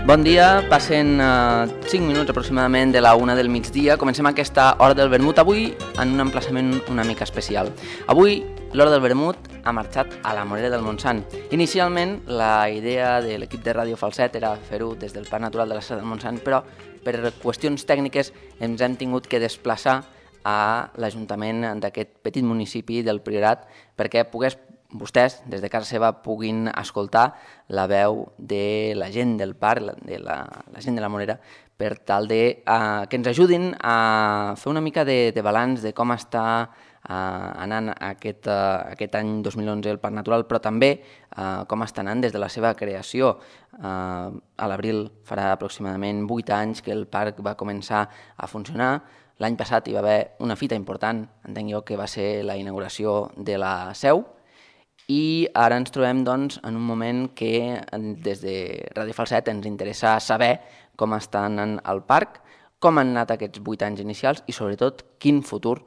Bon dia, passen 5 minuts aproximadament de la 1 del migdia. Comencem aquesta Hora del Vermut avui en un emplaçament una mica especial. Avui l'Hora del Vermut ha marxat a la Morera del Montsant. Inicialment la idea de l'equip de Ràdio Falset era fer-ho des del Parc Natural de la Serra del Montsant, però per qüestions tècniques ens hem tingut que desplaçar a l'Ajuntament d'aquest petit municipi del Priorat perquè vostès, des de casa seva, puguin escoltar la veu de la gent del parc, de la gent de la Morera, per tal de que ens ajudin a fer una mica de balanç de com està anant aquest any 2011 el Parc Natural, però també com està anant des de la seva creació. A l'abril farà aproximadament 8 anys que el parc va començar a funcionar. L'any passat hi va haver una fita important, entenc jo, que va ser la inauguració de la seu, i ara ens trobem doncs, en un moment que des de Ràdio Falset ens interessa saber com està anant el parc, com han anat aquests 8 anys inicials i sobretot quin futur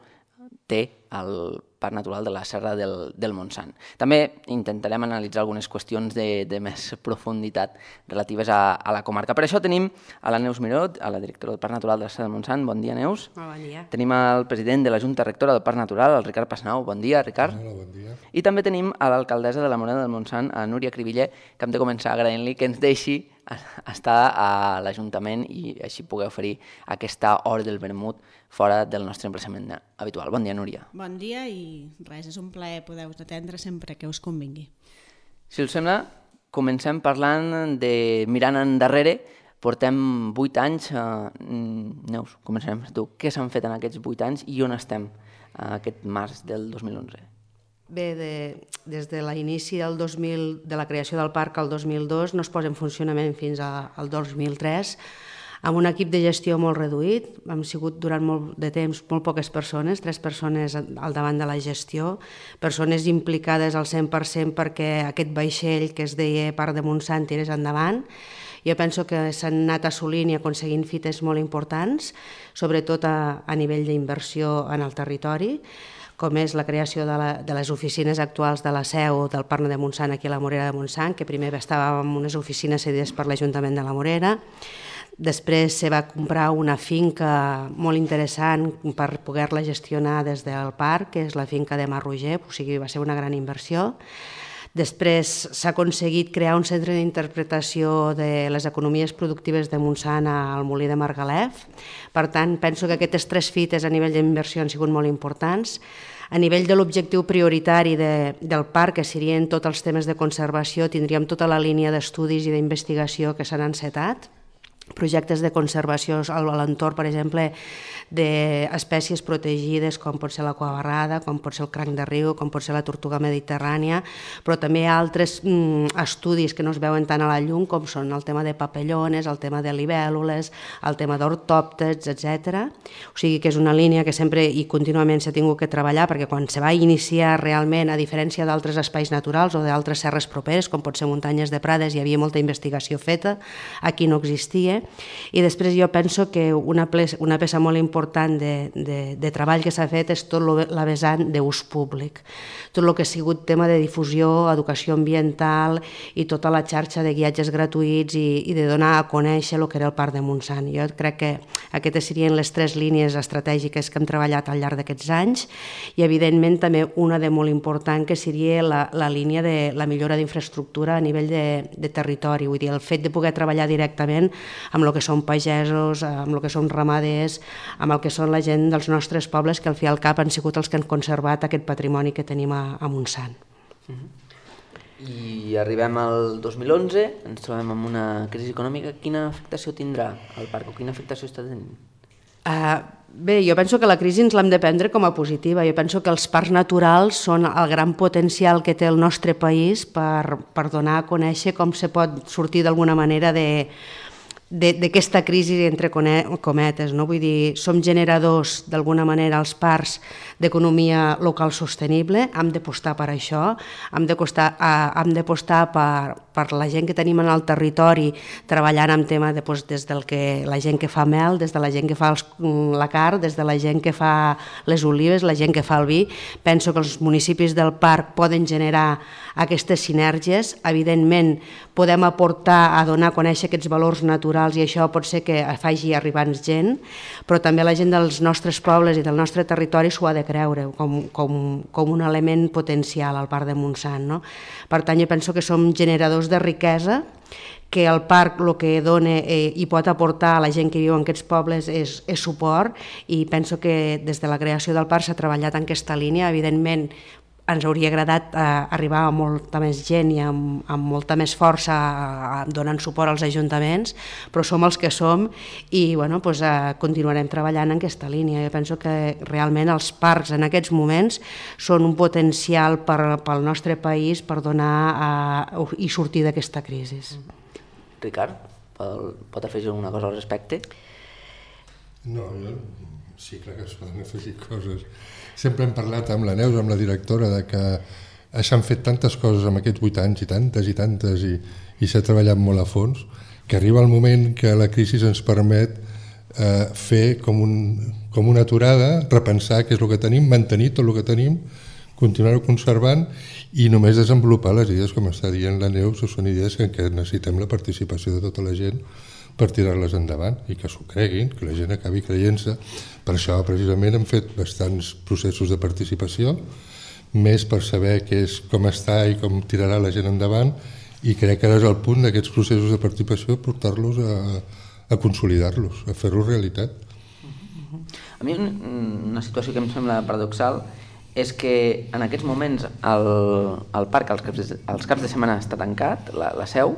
té el Parc Natural de la Serra del Montsant. També intentarem analitzar algunes qüestions de més profunditat relatives a la comarca. Per això tenim a la Neus Miró, a la directora del Parc Natural de la Serra del Montsant. Bon dia, Neus. Bon dia. Tenim el president de la Junta Rectora del Parc Natural, el Ricard Passanau. Bon dia, Ricard. Hola, bon dia. I també tenim a l'alcaldessa de la Morera del Montsant, a Núria Cribiller, que hem de començar agraint-li que ens deixi estar a l'Ajuntament i així poder oferir aquesta hora del vermut fora del nostre emplaçament habitual. Bon dia, Núria. Bon dia i res, és un plaer poder-vos atendre sempre que us convingui. Si us sembla, comencem parlant de mirant endarrere. Portem 8 anys. Neus, començarem per tu. Què s'han fet en aquests 8 anys i on estem aquest març del 2011? Bé, des de l'inici de la creació del parc al 2002 no es posa en funcionament fins al 2003 amb un equip de gestió molt reduït. Hem sigut durant molt de temps molt poques persones, 3 persones al davant de la gestió, persones implicades al 100% perquè aquest vaixell que es deia Parc de Montsant tirés endavant. Jo penso que s'han anat assolint i aconseguint fites molt importants, sobretot a nivell d'inversió en el territori, com és la creació de les oficines actuals de la seu del Parc de Montsant aquí a la Morera de Montsant, que primer estava en unes oficines cedides per l'Ajuntament de la Morera. Després se va comprar una finca molt interessant per poder-la gestionar des del parc, que és la finca de Mas Roger, o sigui, va ser una gran inversió. Després s'ha aconseguit crear un centre d'interpretació de les economies productives de Montsant al Molí de Margalef. Per tant, penso que aquestes 3 fites a nivell d'inversió han sigut molt importants. A nivell de l'objectiu prioritari del parc, que serien tots els temes de conservació, tindríem tota la línia d'estudis i d'investigació que s'han encetat. Projectes de conservació a l'entorn, per exemple, d'espècies protegides com pot ser la cuabarrada, com pot ser el cranc de riu, com pot ser la tortuga mediterrània, però també altres estudis que no es veuen tant a la llum, com són el tema de papallones, el tema de libèl·lules, el tema d'ortòpters, etc. O sigui que és una línia que sempre i contínuament s'ha tingut que treballar, perquè quan se va iniciar realment, a diferència d'altres espais naturals o d'altres serres properes, com pot ser muntanyes de Prades, hi havia molta investigació feta, aquí no existia. I després jo penso que una peça molt important de treball que s'ha fet és tot la vessant d'ús públic, tot el que ha sigut tema de difusió, educació ambiental i tota la xarxa de guiatges gratuïts i de donar a conèixer el que era el Parc de Montsant. Jo crec que aquestes serien les 3 línies estratègiques que hem treballat al llarg d'aquests anys i evidentment també una de molt important que seria la línia de la millora d'infraestructura a nivell de territori, vull dir, el fet de poder treballar directament amb el que són pagesos, amb el que són ramaders, amb el que són la gent dels nostres pobles que al fi i al cap han sigut els que han conservat aquest patrimoni que tenim a Montsant. I arribem al 2011, ens trobem amb una crisi econòmica. Quina afectació tindrà el parc o quina afectació està tenint? Bé, jo penso que la crisi ens l'hem de prendre com a positiva. Jo penso que els parcs naturals són el gran potencial que té el nostre país per donar a conèixer com se pot sortir d'alguna manera d'aquesta crisi entre cometes, no? Vull dir, som generadors d'alguna manera als parcs d'economia local sostenible, hem d'apostar per això, hem d'apostar per per la gent que tenim en el territori treballant en tema de, doncs, des del que la gent que fa mel, des de la gent que fa la carn, des de la gent que fa les olives, la gent que fa el vi. Penso que els municipis del parc poden generar aquestes sinergies. Evidentment, podem aportar a donar a conèixer aquests valors naturals i això pot ser que faci arribar gent, però també la gent dels nostres pobles i del nostre territori s'ho ha de creure com un element potencial al Parc de Montsant, no? Per tant, jo penso que som generadors de riquesa, que el parc el que dona i pot aportar a la gent que viu en aquests pobles és suport, i penso que des de la creació del parc s'ha treballat en aquesta línia. Evidentment, ens hauria agradat arribar a molta més gent i amb molta més força donant suport als ajuntaments, però som els que som i continuarem treballant en aquesta línia. Jo penso que realment els parcs en aquests moments són un potencial pel nostre país per donar i sortir d'aquesta crisi. Ricard, pot afegir alguna cosa al respecte? No, sí, clar que es poden afegir coses. Sempre hem parlat amb la Neus, amb la directora, de que s'han fet tantes coses en aquests 8 anys i tantes, i s'ha treballat molt a fons, que arriba el moment que la crisi ens permet fer com una aturada, repensar què és el que tenim, mantenir tot el que tenim, continuar-ho conservant i només desenvolupar les idees, com està dient la Neus, són idees en què necessitem la participació de tota la gent per tirar-les endavant i que s'ho creguin, que la gent acabi creient-se. Per això precisament hem fet bastants processos de participació, més per saber com està i com tirarà la gent endavant, i crec que ara és el punt d'aquests processos de participació portar-los a consolidar-los, a fer-los realitat. A mi una situació que em sembla paradoxal és que en aquests moments el parc als caps de setmana està tancat, la seu,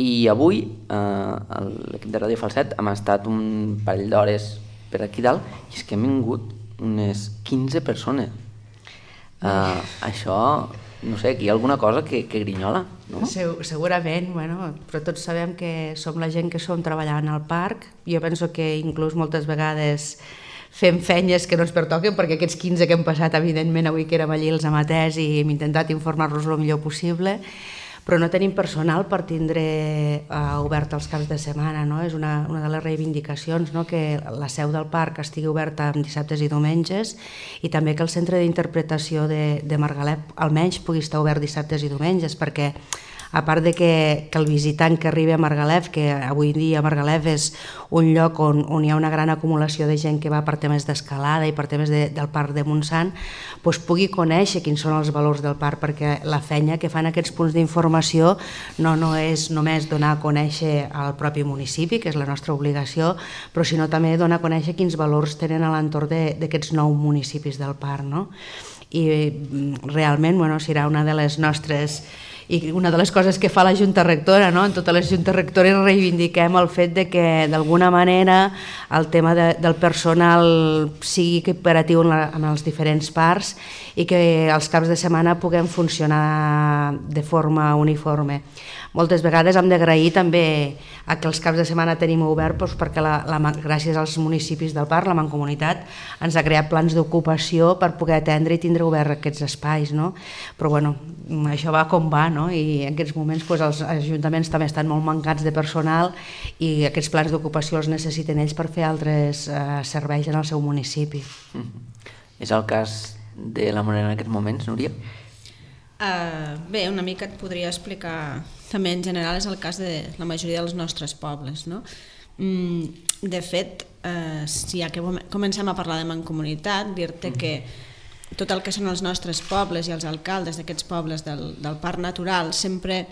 i avui l'equip de Ràdio Falset hem estat un parell d'hores per aquí dalt i és que hem vingut unes 15 persones. Això, no sé, aquí hi ha alguna cosa que grinyola, no? Segurament, però tots sabem que som la gent que som treballant al parc. Jo penso que inclús moltes vegades fem feines que no ens pertoquen, perquè aquests 15 que hem passat, evidentment, avui que érem allí els amateurs i hem intentat informar-los el millor possible, però no tenim personal per tindre obert els caps de setmana. És una de les reivindicacions, que la seu del parc estigui oberta en dissabtes i diumenges, i també que el centre d'interpretació de Margalef almenys pugui estar obert dissabtes i diumenges, perquè a part de que el visitant que arribi a Margalef, que avui dia Margalef és un lloc on hi ha una gran acumulació de gent que va per temes d'escalada i per temes del Parc de Montsant, pugui conèixer quins són els valors del parc, perquè la feina que fan aquests punts d'informació no és només donar a conèixer al propi municipi, que és la nostra obligació, però sinó també donar a conèixer quins valors tenen a l'entorn d'aquests 9 municipis del parc. I realment serà una de les nostres... I una de les coses que fa la Junta Rectora, en totes les Juntes Rectores reivindiquem el fet de que d'alguna manera el tema del personal sigui equiparatiu en els diferents parcs i que els caps de setmana puguem funcionar de forma uniforme. Moltes vegades hem d'agrair també que els caps de setmana tenim obert perquè gràcies als municipis del parc, la Mancomunitat, ens ha creat plans d'ocupació per poder atendre i tindre obert aquests espais. Però això va com va, i en aquests moments els ajuntaments també estan molt mancats de personal i aquests plans d'ocupació els necessiten ells per fer altres serveis en el seu municipi. És el cas de la Morera en aquests moments, Núria? Bé, una mica et podria explicar, també en general és el cas de la majoria dels nostres pobles. De fet, si ja que comencem a parlar de Mancomunitat, dir-te que tot el que són els nostres pobles i els alcaldes d'aquests pobles del Parc Natural sempre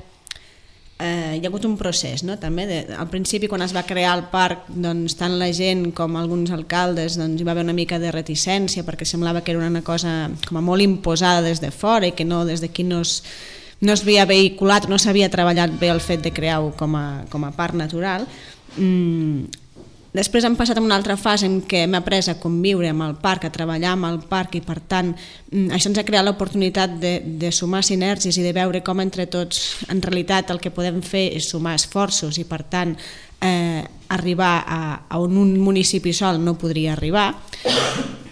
hi ha hagut un procés, també. Al principi, quan es va crear el parc, tant la gent com alguns alcaldes hi va haver una mica de reticència perquè semblava que era una cosa com a molt imposada des de fora i que des d'aquí no es havia vehiculat, no s'havia treballat bé el fet de crear-ho com a parc natural. Després hem passat a una altra fase en què hem après a conviure amb el parc, a treballar amb el parc, i per tant això ens ha creat l'oportunitat de sumar sinergies i de veure com entre tots en realitat el que podem fer és sumar esforços i per tant arribar a on un municipi sol no podria arribar,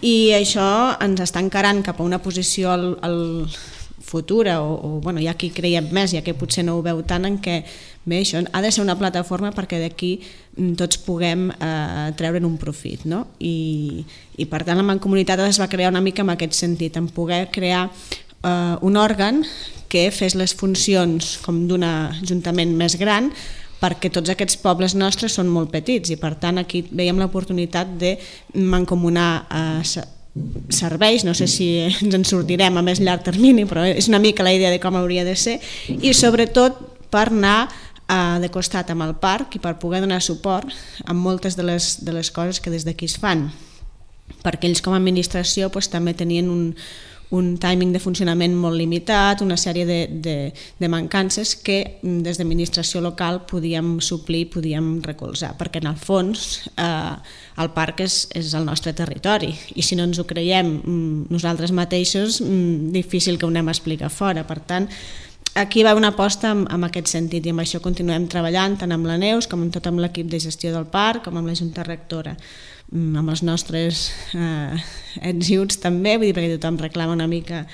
i això ens està encarant cap a una posició futura, o bueno, hi ha qui creiem més, hi ha qui potser no ho veu tant, en què bé, això ha de ser una plataforma perquè d'aquí tots puguem treure'n un profit, no? I per tant la Mancomunitat es va crear una mica en aquest sentit, en poder crear un òrgan que fes les funcions com d'un ajuntament més gran, perquè tots aquests pobles nostres són molt petits i per tant aquí veiem l'oportunitat de mancomunar serveis, no sé si ens en sortirem a més llarg termini, però és una mica la idea de com hauria de ser, i sobretot per anar de costat amb el parc i per poder donar suport a moltes de les coses que des d'aquí es fan, perquè ells com a administració també tenien un timing de funcionament molt limitat, una sèrie de mancances que des d'administració local podíem suplir, podíem recolzar, perquè en el fons el parc és el nostre territori i si no ens ho creiem nosaltres mateixos, difícil que ho anem a explicar fora. Per tant, aquí va una aposta en aquest sentit i amb això continuem treballant tant amb la Neus com amb tot amb l'equip de gestió del parc, com amb la Junta Rectora, amb els nostres ets i uts també, vull dir, perquè tothom reclama una mica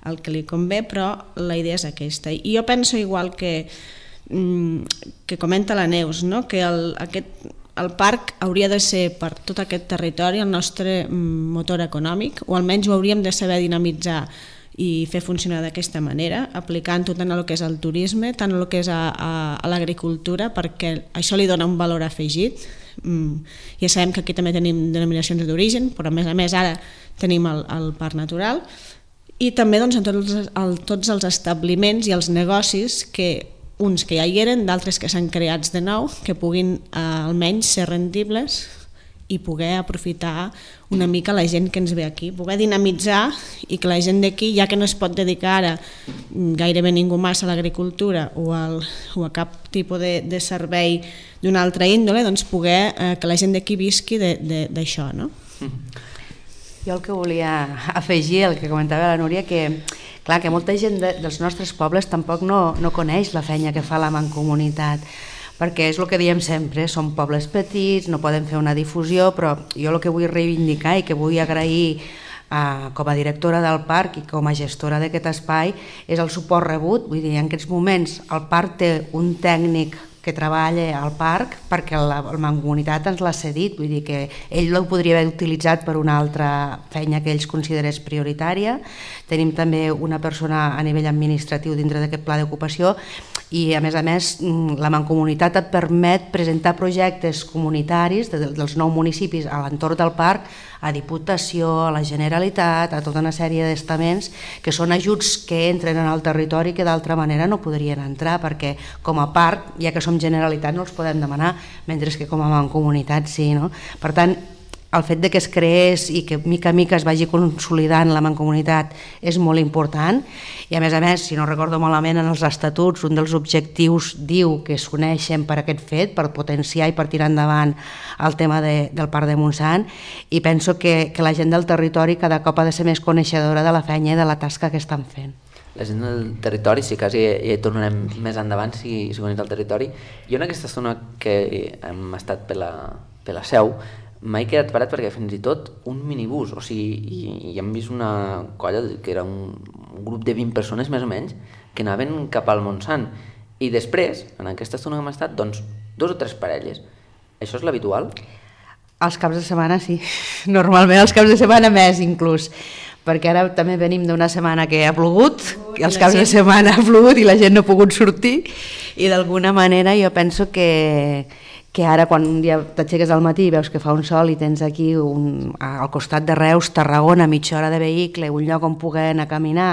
el que li convé, però la idea és aquesta. I jo penso igual que comenta la Neus, no? Que el parc hauria de ser per tot aquest territori el nostre motor econòmic, o almenys ho hauríem de saber dinamitzar i fer funcionar d'aquesta manera, aplicant-ho tant a el que és el turisme, tant a el que és a l'agricultura, perquè això li dona un valor afegit. Ja sabem que aquí també tenim denominacions d'origen, però a més ara tenim el parc natural, i també en tots els establiments i els negocis, uns que ja hi eren, d'altres que s'han creats de nou, que puguin almenys ser rendibles i poder aprofitar una mica la gent que ens ve aquí, poder dinamitzar i que la gent d'aquí, ja que no es pot dedicar ara gairebé ningú massa a l'agricultura o a cap tipus de servei d'una altra índole, doncs poder que la gent d'aquí visqui d'això, no? Jo el que volia afegir, el que comentava la Núria, que clar, que molta gent dels nostres pobles tampoc no coneix la feina que fa la Mancomunitat, perquè és el que diem sempre, són pobles petits, no poden fer una difusió, però jo el que vull reivindicar i que vull agrair com a directora del parc i com a gestora d'aquest espai és el suport rebut. Vull dir, en aquests moments el parc té un tècnic que treballa al parc perquè la Mancomunitat ens l'ha cedit, vull dir que ell ho podria haver utilitzat per una altra feina que ells considerés prioritària. Tenim també una persona a nivell administratiu dintre d'aquest pla d'ocupació i a més la Mancomunitat et permet presentar projectes comunitaris dels 9 municipis a l'entorn del parc a Diputació, a la Generalitat, a tota una sèrie d'estaments que són ajuts que entren en el territori que d'altra manera no podrien entrar perquè com a parc, ja que som Generalitat, no els podem demanar, mentre que com a Mancomunitat sí, no? Per tant, el fet que es creés i que mica a mica es vagi consolidant la Mancomunitat és molt important i a més, si no recordo malament, en els estatuts un dels objectius diu que s'uneixen per aquest fet, per potenciar i per tirar endavant el tema del Parc de Montsant i penso que la gent del territori cada cop ha de ser més coneixedora de la feina i de la tasca que estan fent. La gent del territori, si quasi hi tornarem més endavant si coneix el territori. Jo en aquesta estona que hem estat per la Seu m'he quedat parat perquè fins i tot un minibús, o sigui, i hem vist una colla que era un grup de 20 persones més o menys que anaven cap al Montsant i després, en aquesta estona que hem estat, doncs 2 o 3 parelles. Això és l'habitual? Els caps de setmana sí, normalment els caps de setmana més inclús, perquè ara també venim d'una setmana que ha plogut, els caps de setmana ha plogut i la gent no ha pogut sortir i d'alguna manera jo penso que ara quan un dia t'aixeques al matí i veus que fa un sol i tens aquí al costat de Reus, Tarragona, mitja hora de vehicle, un lloc on poder anar a caminar,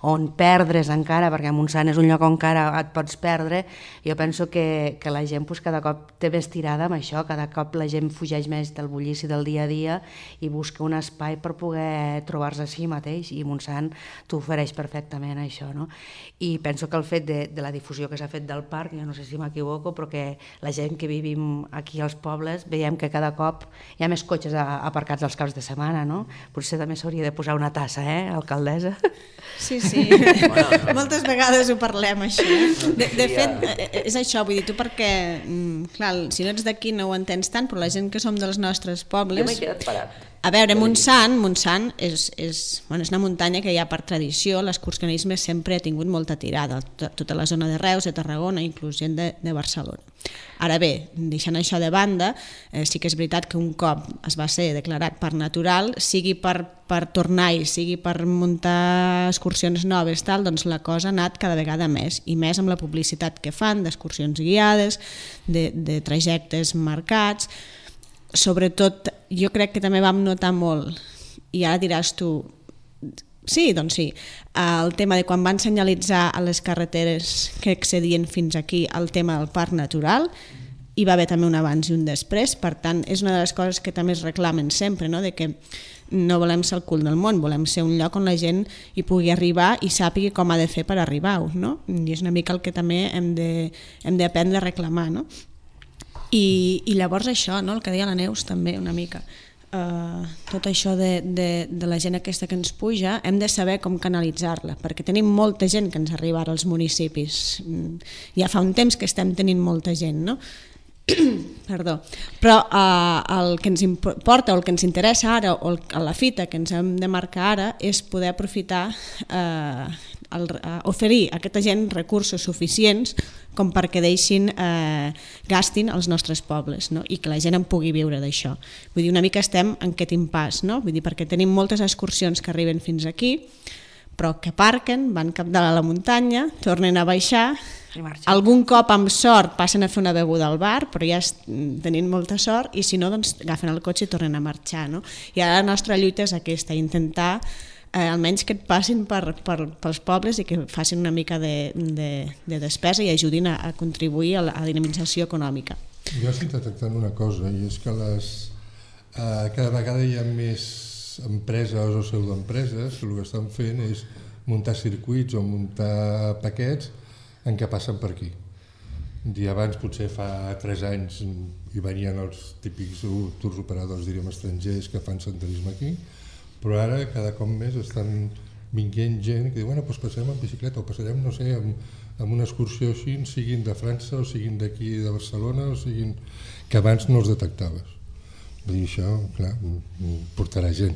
on perdre's encara, perquè a Montsant és un lloc on encara et pots perdre, jo penso que la gent cada cop té més tirada amb això, cada cop la gent fugeix més del bullici del dia a dia i busca un espai per poder trobar-se a si mateix i Montsant t'ho ofereix perfectament això, no? I penso que el fet de la difusió que s'ha fet del parc, jo no sé si m'equivoco, però que la gent que vivim aquí als pobles veiem que cada cop hi ha més cotxes aparcats als caps de setmana, no? Potser també s'hauria de posar una tassa, alcaldessa? Sí. Moltes vegades ho parlem, això. De fet, és això, vull dir, tu perquè, clar, si no ets d'aquí no ho entens tant, però la gent que som dels nostres pobles... Jo m'he quedat parat. A veure, Montsant és una muntanya que ja per tradició l'excursionisme sempre ha tingut molta tirada, tota la zona de Reus, de Tarragona, inclús gent de Barcelona. Ara bé, deixant això de banda, sí que és veritat que un cop es va ser declarat parc natural, sigui per tornar-hi, sigui per muntar excursions noves, doncs la cosa ha anat cada vegada més, i més amb la publicitat que fan d'excursions guiades, de trajectes marcats. Sobretot, jo crec que també vam notar molt, i ara diràs tu, sí, doncs sí, el tema de quan van senyalitzar a les carreteres que accedien fins aquí el tema del parc natural, hi va haver també un abans i un després, per tant, és una de les coses que també es reclamen sempre, no? De que no volem ser el cul del món, volem ser un lloc on la gent hi pugui arribar i sàpigui com ha de fer per arribar-hi, no? I és una mica el que també hem d'aprendre a reclamar, no? I llavors això, no? El que deia la Neus també una mica, tot això de la gent aquesta que ens puja, hem de saber com canalitzar-la, perquè tenim molta gent que ens arriba ara als municipis, ja fa un temps que estem tenint molta gent, no? Perdó. Però el que ens importa o el que ens interessa ara o la fita que ens hem de marcar ara és poder aprofitar, oferir a aquesta gent recursos suficients com perquè gastin els nostres pobles, no? I que la gent en pugui viure d'això. Vull dir, una mica estem en aquest impàs, no? Vull dir, perquè tenim moltes excursions que arriben fins aquí, però que aparquen, van cap dalt a la muntanya, tornen a baixar, algun cop amb sort passen a fer una beguda al bar, però ja tenint molta sort, i si no, doncs agafen el cotxe i tornen a marxar, no? I ara la nostra lluita és aquesta, intentar almenys que et passin pels pobles i que facin una mica de despesa i ajudin a contribuir a la dinamització econòmica. Jo estic detectant una cosa, i és que cada vegada hi ha més empreses o pseudoempreses que el que estan fent és muntar circuits o muntar paquets en què passen per aquí. Abans, potser fa 3 anys, hi venien els típics tours operadors, diríem, estrangers que fan senderisme aquí, però ara cada cop més estan vinguent gent que diu, bueno, doncs passarem en bicicleta o passarem, no sé, amb una excursió així, siguin de França o siguin d'aquí de Barcelona o siguin... que abans no els detectaves. Vull dir, això, clar, portarà gent.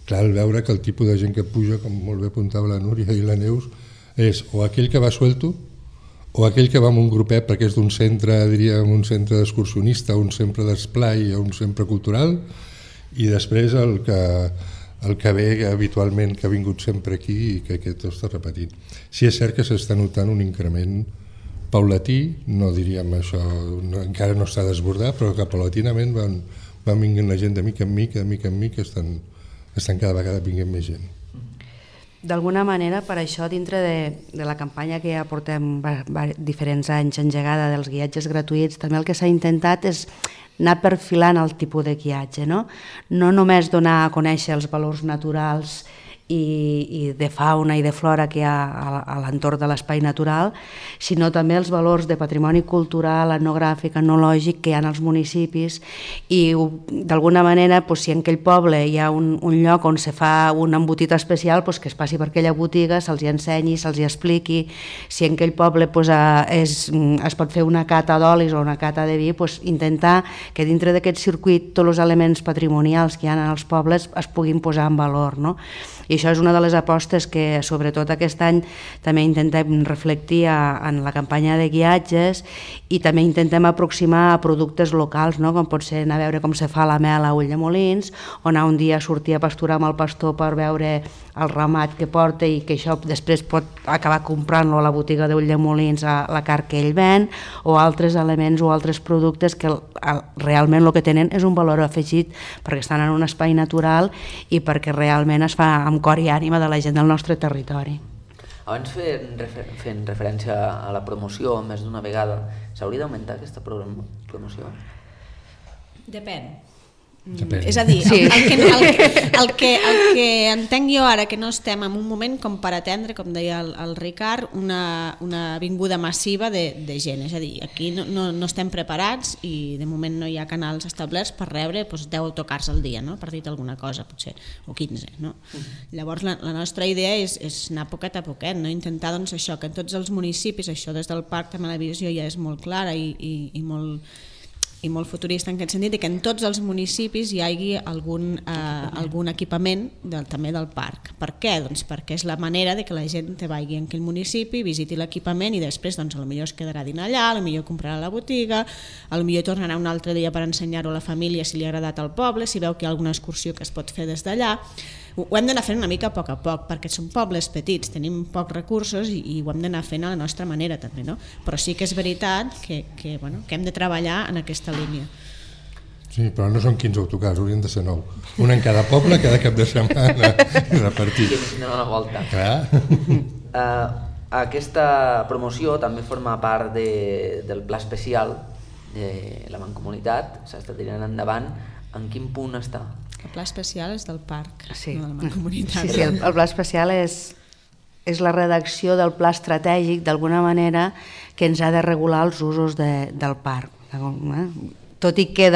Clar, al veure que el tipus de gent que puja, com molt bé apuntava la Núria i la Neus, és o aquell que va suelto o aquell que va amb un grupet perquè és d'un centre, diríem, un centre d'excursionista, un centre d'esplai o un centre cultural, i després el que ve habitualment, que ha vingut sempre aquí i que aquest ho està repetint. Sí, és cert que s'està notant un increment paulatí, no diríem això, encara no està desbordat, però que paulatinament van vinguent la gent de mica en mica, estan cada vegada vinguent més gent. D'alguna manera, per això, dintre de la campanya que ja portem diferents anys engegada dels guiatges gratuïts, també el que s'ha intentat és anar perfilant el tipus de guiatge, no només donar a conèixer els valors naturals i de fauna i de flora que hi ha a l'entorn de l'espai natural, sinó també els valors de patrimoni cultural, etnogràfic, etnològic que hi ha als municipis, i d'alguna manera, si en aquell poble hi ha un lloc on se fa un embotit especial, que es passi per aquella botiga, se'ls ensenyi, se'ls expliqui. Si en aquell poble es pot fer una cata d'olis o una cata de vi, intentar que dintre d'aquest circuit tots els elements patrimonials que hi ha als pobles es puguin posar en valor, no? I això és una de les apostes que, sobretot aquest any, també intentem reflectir en la campanya de guiatges, i també intentem aproximar a productes locals, no? Com pot ser anar a veure com se fa la mel a Ulldemolins, o anar un dia a sortir a pasturar amb el pastor per veure el ramat que porta i que això després pot acabar comprant-lo a la botiga d'Ulldemolins, a la carn que ell ven, o altres elements o altres productes que realment el que tenen és un valor afegit perquè estan en un espai natural i perquè realment es fa amb cor i ànima de la gent del nostre territori. Abans fent referència a la promoció més d'una vegada, s'hauria d'augmentar aquesta promoció? Depèn. Depèn. És a dir, sí. el que entenc jo ara, que no estem en un moment com per atendre, com deia el Ricard, una vinguda massiva de gent. És a dir, aquí no estem preparats i de moment no hi ha canals establerts per rebre 10 autocars al dia, no? Per dir alguna cosa, potser, o 15. No? Llavors la nostra idea és anar poquet a poquet, no? Intentar doncs, això, que en tots els municipis, això des del parc també la visió ja és molt clara i molt i molt futurista en aquest sentit, i que en tots els municipis hi hagi algun equipament també del parc. Per què? Doncs perquè és la manera de que la gent vagi en aquell municipi, visiti l'equipament i després potser es quedarà a dinar allà, potser comprarà a la botiga, potser tornarà un altre dia per ensenyar-ho a la família si li ha agradat al poble, si veu que hi ha alguna excursió que es pot fer des d'allà. Ho hem d'anar fent una mica a poc, perquè són pobles petits, tenim pocs recursos i ho hem d'anar fent a la nostra manera també, no? Però sí que és veritat que hem de treballar en aquesta línia. Sí, però no són 15 autocars, haurien de ser 9. Un en cada poble, cada cap de setmana i repartit. No, una volta. Clar. Aquesta promoció també forma part del pla especial de la Mancomunitat, s'està tirant endavant. En quin punt està? El pla especial és del parc, sí. No de la Mancomunitat. Sí, el pla especial és la redacció del pla estratègic, d'alguna manera, que ens ha de regular els usos del parc. Tot i que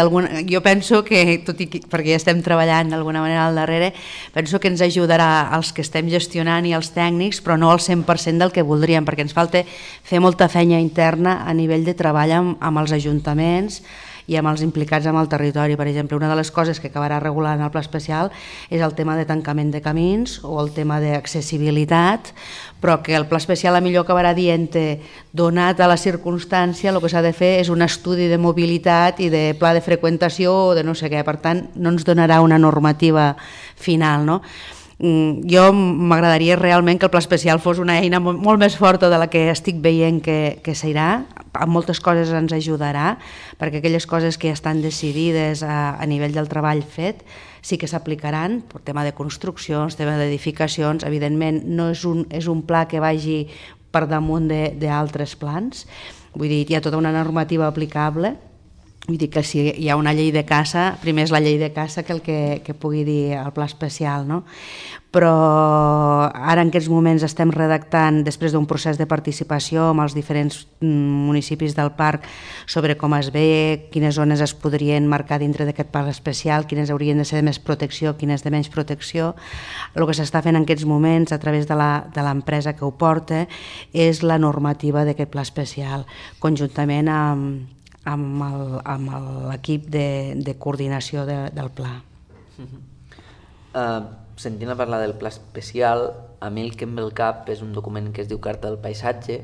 jo penso que, perquè ja estem treballant d'alguna manera al darrere, penso que ens ajudarà als que estem gestionant i als tècnics, però no al 100% del que voldríem, perquè ens falta fer molta feina interna a nivell de treball amb els ajuntaments i amb els implicats amb el territori. Per exemple, una de les coses que acabarà regulant el pla especial és el tema de tancament de camins o el tema d'accessibilitat, però que el pla especial a millor acabarà dient, donat a la circumstància, el que s'ha de fer és un estudi de mobilitat i de pla de freqüentació o de no sé què, per tant no ens donarà una normativa final, no? Jo m'agradaria realment que el pla especial fos una eina molt més forta de la que estic veient que serà. En moltes coses ens ajudarà, perquè aquelles coses que ja estan decidides a nivell del treball fet sí que s'aplicaran, per tema de construccions, tema d'edificacions. Evidentment no és un pla que vagi per damunt d'altres plans, vull dir, hi ha tota una normativa aplicable. Vull dir que si hi ha una llei de caça, primer és la llei de caça que el que pugui dir el pla especial, no? Però ara en aquests moments estem redactant, després d'un procés de participació amb els diferents municipis del parc, sobre com es ve, quines zones es podrien marcar dintre d'aquest parc especial, quines haurien de ser de més protecció, quines de menys protecció. El que s'està fent en aquests moments a través de l'empresa que ho porta és la normativa d'aquest pla especial, conjuntament amb l'equip de coordinació del pla. Sentint a parlar del pla especial, a mi el que em ve al cap és un document que es diu Carta del Paisatge.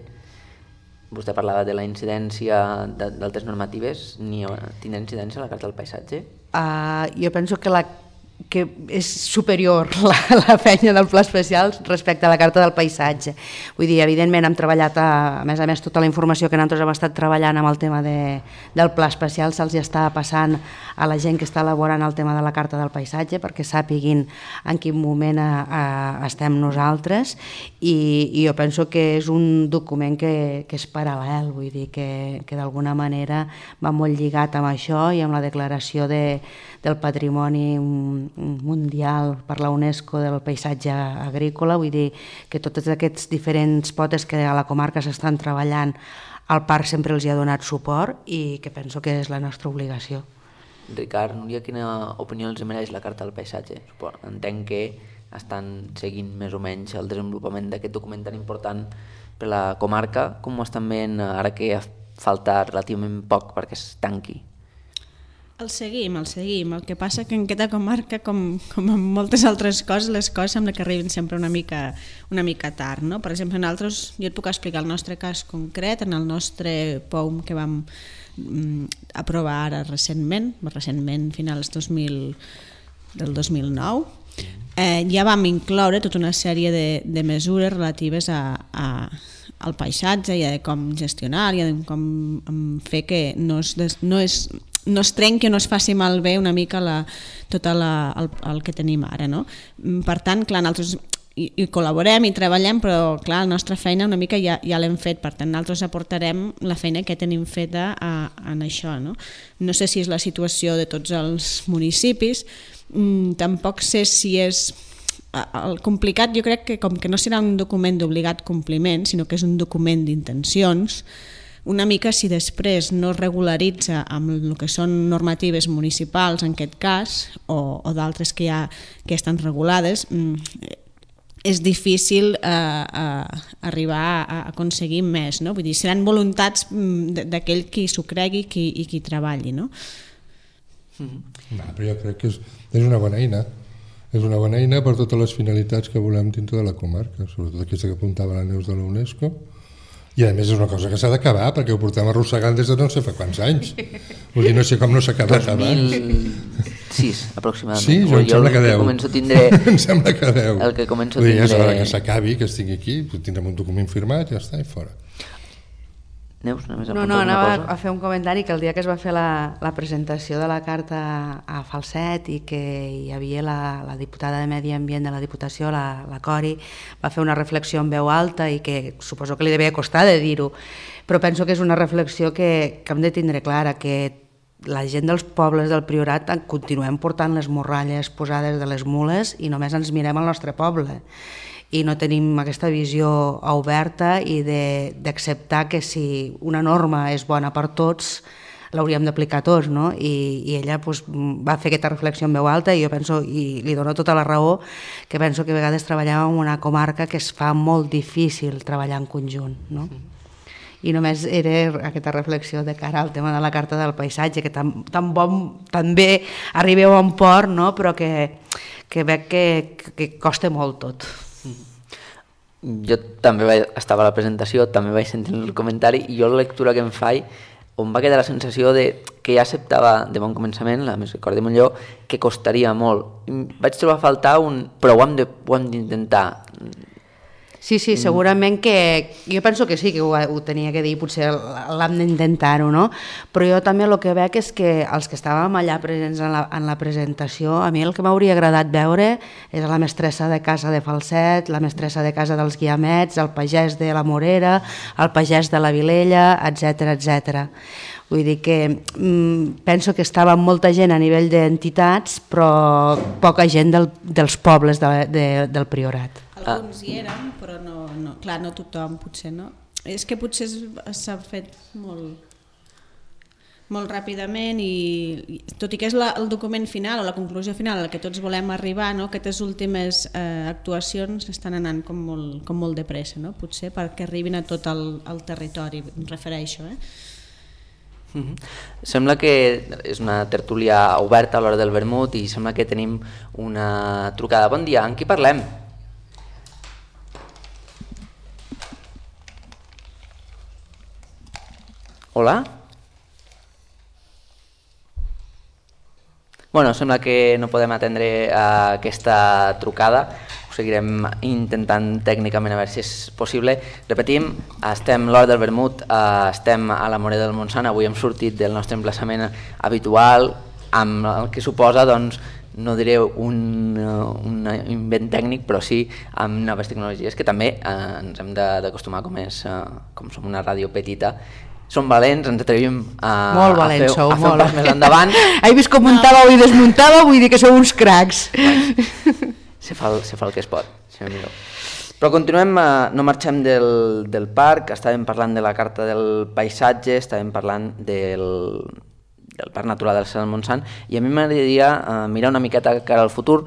Vostè parlava de la incidència d'altres normatives. Tindrà incidència la Carta del Paisatge? Jo penso que és superior la feina del pla especial respecte a la Carta del Paisatge. Vull dir, evidentment hem treballat, a més tota la informació que nosaltres hem estat treballant amb el tema del pla especial se'ls està passant a la gent que està elaborant el tema de la Carta del Paisatge perquè sàpiguin en quin moment estem nosaltres, i jo penso que és un document que és paral·lel, vull dir que d'alguna manera va molt lligat amb això i amb la declaració del patrimoni mundial per la UNESCO del paisatge agrícola. Vull dir que tots aquests diferents potes que a la comarca s'estan treballant, el parc sempre els hi ha donat suport i que penso que és la nostra obligació. Ricard, Núria, quina opinió els mereix la Carta del Paisatge? Entenc que estan seguint més o menys el desenvolupament d'aquest document tan important per la comarca. Com ho estan veient ara que falta relativament poc perquè es tanqui? El seguim. El que passa que en aquesta comarca, com en moltes altres coses, les coses sembla que arriben sempre una mica tard, no? Per exemple, jo et puc explicar el nostre cas concret, en el nostre POUM que vam aprovar ara recentment, finals del 2009, ja vam incloure tota una sèrie de mesures relatives al paisatge i a com gestionar i a com fer que no es trenqui o no es faci malbé una mica tot el que tenim ara, no? Per tant, clar, nosaltres hi col·laborem i treballem, però clar, la nostra feina una mica ja l'hem fet, per tant nosaltres aportarem la feina que tenim feta en això, no? No sé si és la situació de tots els municipis, tampoc sé si és... El complicat, jo crec que com que no serà un document d'obligat compliment, sinó que és un document d'intencions, una mica si després no es regularitza amb el que són normatives municipals en aquest cas o d'altres que estan regulades, és difícil arribar a aconseguir més, no? Vull dir, seran voluntats d'aquell qui s'ho cregui i qui treballi, no? Però jo crec que és una bona eina. És una bona eina per totes les finalitats que volem dintre de la comarca, sobretot aquesta que apuntava la Neus de la UNESCO. I a més és una cosa que s'ha d'acabar, perquè ho portem arrossegant des de no sé fa quants anys. Vull dir, no sé com no s'ha acabat abans. 2006, aproximadament. Sí, jo em sembla que 10. Em sembla que 10. El que començo a tindre... Ja és hora tindre... que s'acabi, que estigui aquí, tindrem un document firmat, ja està, i fora. Neus, només anava a fer un comentari que el dia que es va fer la presentació de la carta a Falset i que hi havia la diputada de Medi Ambient de la Diputació, la Cori, va fer una reflexió en veu alta i que suposo que li devia costar de dir-ho, però penso que és una reflexió que hem de tindre clara, que la gent dels pobles del Priorat continuem portant les morralles posades de les mules i només ens mirem al nostre poble. I no tenim aquesta visió oberta i d'acceptar que si una norma és bona per tots, l'hauríem d'aplicar tots, no? I ella va fer aquesta reflexió en veu alta i jo penso, i li dono tota la raó, que penso que a vegades treballem en una comarca que es fa molt difícil treballar en conjunt, no? I només era aquesta reflexió de cara al tema de la carta del paisatge, que tan bé arribeu a un port, no? Però que veig que costa molt tot. Jo també estava a la presentació, també vaig sentir el comentari i jo la lectura que em faig on va quedar la sensació de que ja acceptava de bon començament, la Misericordia de Montllor, que costaria molt. Vaig trobar a faltar però ho hem d'intentar. Sí, segurament que... Jo penso que sí, que ho tenia que dir, potser l'hem d'intentar-ho, no? Però jo també el que veig és que els que estàvem allà presents en la presentació, a mi el que m'hauria agradat veure és la mestressa de casa de Falset, la mestressa de casa dels Guiamets, el pagès de la Morera, el pagès de la Vilella, etc. Vull dir que penso que estava molta gent a nivell d'entitats, però poca gent dels pobles del Priorat. Alguns hi eren, però clar, no tothom, potser no. És que potser s'ha fet molt ràpidament i tot i que és el document final o la conclusió final a la que tots volem arribar, no? Aquestes últimes actuacions estan anant com molt de pressa, no? Potser perquè arribin a tot el territori, em refereixo. Sembla que és una tertúlia oberta a l'hora del vermut i sembla que tenim una trucada. Bon dia, amb qui parlem? Hola? Bueno, sembla que no podem atendre aquesta trucada, ho seguirem intentant tècnicament a veure si és possible. Repetim, estem a l'hora del vermut, estem a la Morera del Montsant, avui hem sortit del nostre emplaçament habitual, amb el que suposa, doncs, no diré un invent tècnic, però sí amb noves tecnologies que també ens hem d'acostumar, com som una ràdio petita. Som valents, ens atrevim a fer un pas més endavant. He vist com muntàveu i desmuntàveu, vull dir que sou uns cracs. Se fa el que es pot. Però continuem, no marxem del parc, estàvem parlant de la carta del paisatge, estàvem parlant del Parc Natural del Cel del Montsant, i a mi m'agradaria mirar una miqueta cara al futur.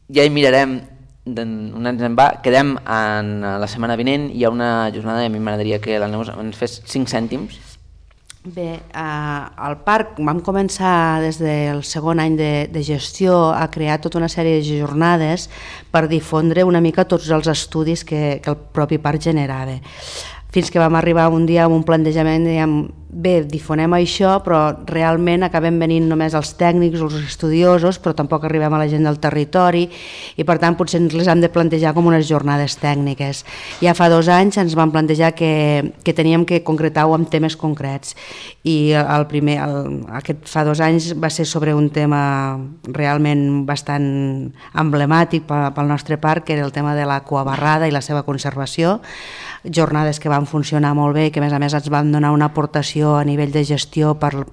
Ja hi mirarem un any en va, quedem la setmana vinent, hi ha una jornada i a mi m'agradaria que la Neus ens fes 5 cèntims. Bé, al parc vam començar des del segon any de gestió a crear tota una sèrie de jornades per difondre una mica tots els estudis que el propi parc generava. Fins que vam arribar un dia amb un plantejament, dèiem, bé, difonem això, però realment acabem venint només els tècnics, els estudiosos, però tampoc arribem a la gent del territori i per tant potser ens les hem de plantejar com unes jornades tècniques. Ja fa 2 anys ens vam plantejar que teníem que concretar-ho amb temes concrets i aquest fa 2 anys va ser sobre un tema realment bastant emblemàtic pel nostre parc, que era el tema de l'aquabarrada i la seva conservació, jornades que van funcionar molt bé i que a més ens van donar una aportació a nivell de gestió pel